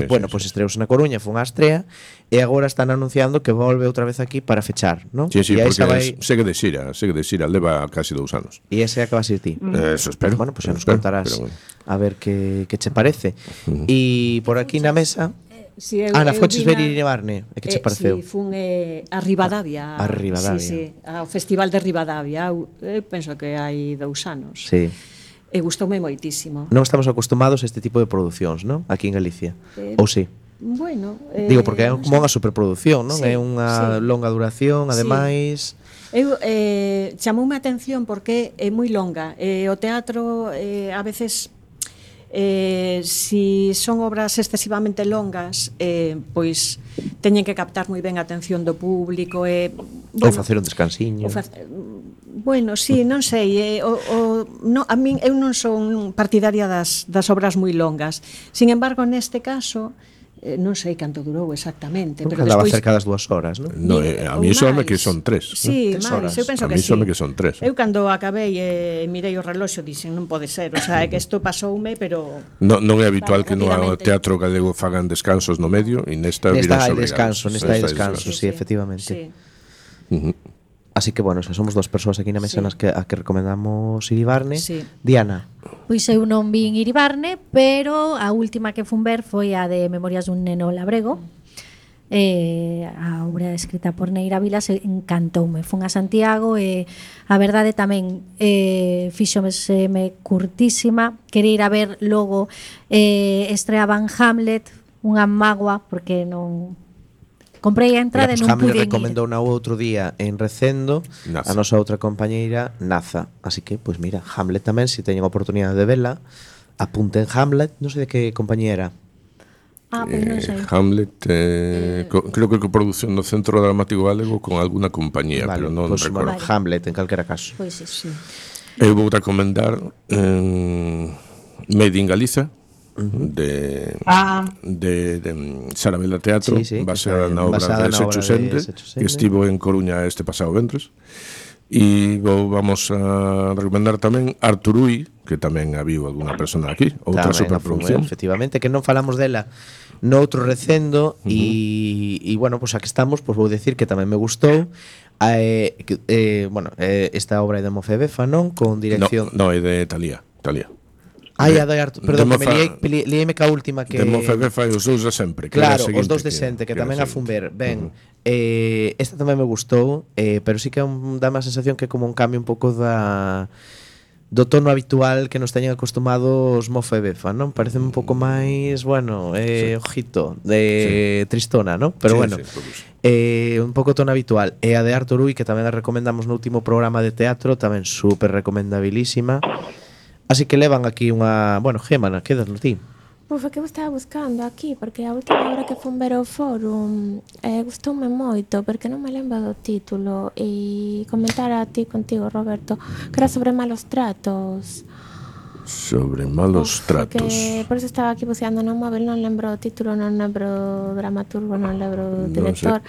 Speaker 4: Bueno, pois estreouse na Coruña, foi unha estrea e agora están anunciando que volve outra vez aquí para fechar, non?
Speaker 5: Sí, porque segue de xira, leva casi 2 anos.
Speaker 4: E ese acaba a ser ti.
Speaker 5: Eso espero.
Speaker 4: Bueno, pois xa nos contarás a ver que che parece. E por aquí na mesa
Speaker 7: Sí,
Speaker 4: Ana, foches ver Iribarne, e que che pareceu?
Speaker 7: Si, fun a Ribadavia.
Speaker 4: A Ribadavia.
Speaker 7: Sí, ao Festival de Ribadavia, penso que hai 2 anos.
Speaker 4: Sí.
Speaker 7: E gustoume moitísimo.
Speaker 4: Non estamos acostumados a este tipo de producións, non? Aquí en Galicia. Ou sí?
Speaker 7: Bueno,
Speaker 4: digo, porque é como unha superproducción, non?
Speaker 7: Sí,
Speaker 4: É unha longa duración, ademais.
Speaker 7: Eu chamoume a atención porque é moi longa. O teatro a veces si son obras excesivamente longas, pois teñen que captar moi ben a atención do público e
Speaker 4: ou facer un descansiño.
Speaker 7: Bueno, sí, non sei, a min eu non son partidaria das obras moi longas. Sin embargo, neste caso non sei canto durou exactamente,
Speaker 4: pero andaba cerca das 2 horas, non?
Speaker 5: No, a mí sóme que son 3.
Speaker 7: Sí, máis, eu penso que sí.
Speaker 5: A mí sóme que son 3.
Speaker 7: Eu cando acabei e mirei o reloxo dixen non pode ser, o sea, é que isto pasoume, pero
Speaker 5: non é habitual que no teatro galego fagan descansos no medio e nesta
Speaker 4: hai descanso, sí, efectivamente.
Speaker 7: Sí.
Speaker 4: Así que, bueno, somos 2 persoas aquí na mesa a que recomendamos Iribarne.
Speaker 7: Sí.
Speaker 4: Diana.
Speaker 1: Pois eu non vin Iribarne, pero a última que fun ver foi a de Memorias dun neno labrego. A obra escrita por Neira Vilas encantoume. Fun a Santiago e a verdade tamén fíxome curtísima. Quería ir a ver logo estreaban Hamlet, unha mágoa, porque non... Comprei a entrada e non pude ir.
Speaker 4: Hamlet recomendou na outro día en Recendo a nosa outra compañeira Naza. Así que, pois mira, Hamlet tamén, se teñen oportunidade de vela, apunten Hamlet, non sei de que compañía era.
Speaker 1: Pois non sei.
Speaker 5: Hamlet, creo que produción no Centro Dramático Galego con alguna compañía, pero non recordo.
Speaker 4: Hamlet, en calquera caso.
Speaker 1: Pois sí.
Speaker 5: Eu vou recomendar Made in Galiza, de Sarabela Teatro, baseada na obra de Secho Sende, que estivo en Coruña este pasado ventres. E vamos a recomendar tamén Arturui, que tamén habiu alguna persona aquí, outra superproducción.
Speaker 4: Efectivamente, que non falamos dela no outro Recendo e bueno, pois aquí estamos, pois vou decir que tamén me gustou. Esta obra é de Mofebefa, non? Con dirección...
Speaker 5: No, é de Talía.
Speaker 4: A de Artur, perdón, liéme ca última que...
Speaker 5: De Mofebefa e os dous de sempre.
Speaker 4: Claro, os dous de xente, que tamén a fun ver. Ben, esta tamén me gustou, pero sí que dá má sensación que é como un cambio un pouco do tono habitual que nos teñen acostumados Mofebefa, non? Parece un pouco máis, bueno, ojito, de tristona, non? Pero bueno, un pouco tono habitual. E a de Arturui, que tamén a recomendamos no último programa de teatro, tamén super recomendabilísima. Así que levan aquí unha... Bueno, Gémana, quédalo ti.
Speaker 6: Pois que eu estaba buscando aquí, porque a última hora que fun ver o fórum gustoume moito, porque non me lembro do título, e comentar a ti contigo, Roberto, que era sobre malos tratos.
Speaker 5: Sobre malos tratos.
Speaker 6: Que por eso estaba aquí buceando no móvil, non lembro o título, non lembro o dramaturgo, non lembro o director.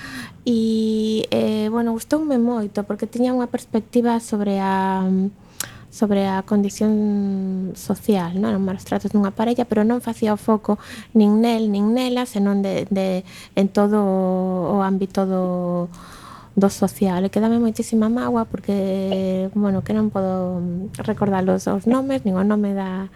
Speaker 6: E, bueno, gustoume moito, porque tiña unha perspectiva sobre a condición social, non? Os malos tratos dunha parella, pero non facía o foco nin nel, nin nela, senón en todo o ámbito do social. E quedame moitísima mágoa porque, bueno, que non podo recordar os nomes, nin o nome da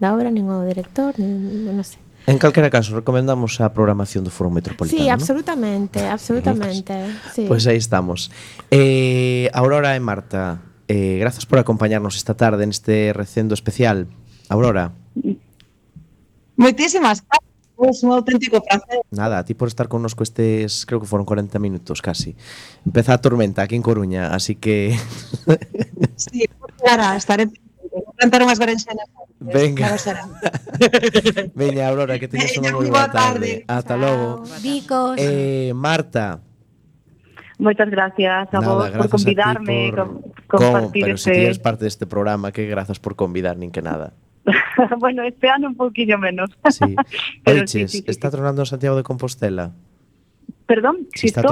Speaker 6: obra, nin o director, nin, non sei.
Speaker 4: En calquera caso, recomendamos a programación do Foro Metropolitano.
Speaker 6: Sí, absolutamente, absolutamente. Sí.
Speaker 4: Pois aí estamos. Aurora e Marta, grazas por acompañarnos esta tarde neste recendo especial. Aurora.
Speaker 9: Moitísimas gracias, un auténtico placer.
Speaker 4: Nada, a ti por estar connosco estes, creo que foron 40 minutos casi. Empeza a tormenta aquí en Coruña, así que...
Speaker 9: Sí, claro, estaré... Cantar unhas berenxenas.
Speaker 4: Venga. Veña, Aurora, que teñes unha moi boa tarde. Ata logo.
Speaker 1: Bicos.
Speaker 4: Marta.
Speaker 10: Moitas gracias a vos por convidarme, compartir
Speaker 4: pero si eres parte deste programa, que grazas por convidar, nin que nada.
Speaker 10: Bueno, este ano un pouquinho menos.
Speaker 4: Sí.
Speaker 10: Pero
Speaker 4: Oiches,
Speaker 10: sí.
Speaker 4: está tronando en Santiago de Compostela?
Speaker 10: Perdón,
Speaker 4: Si está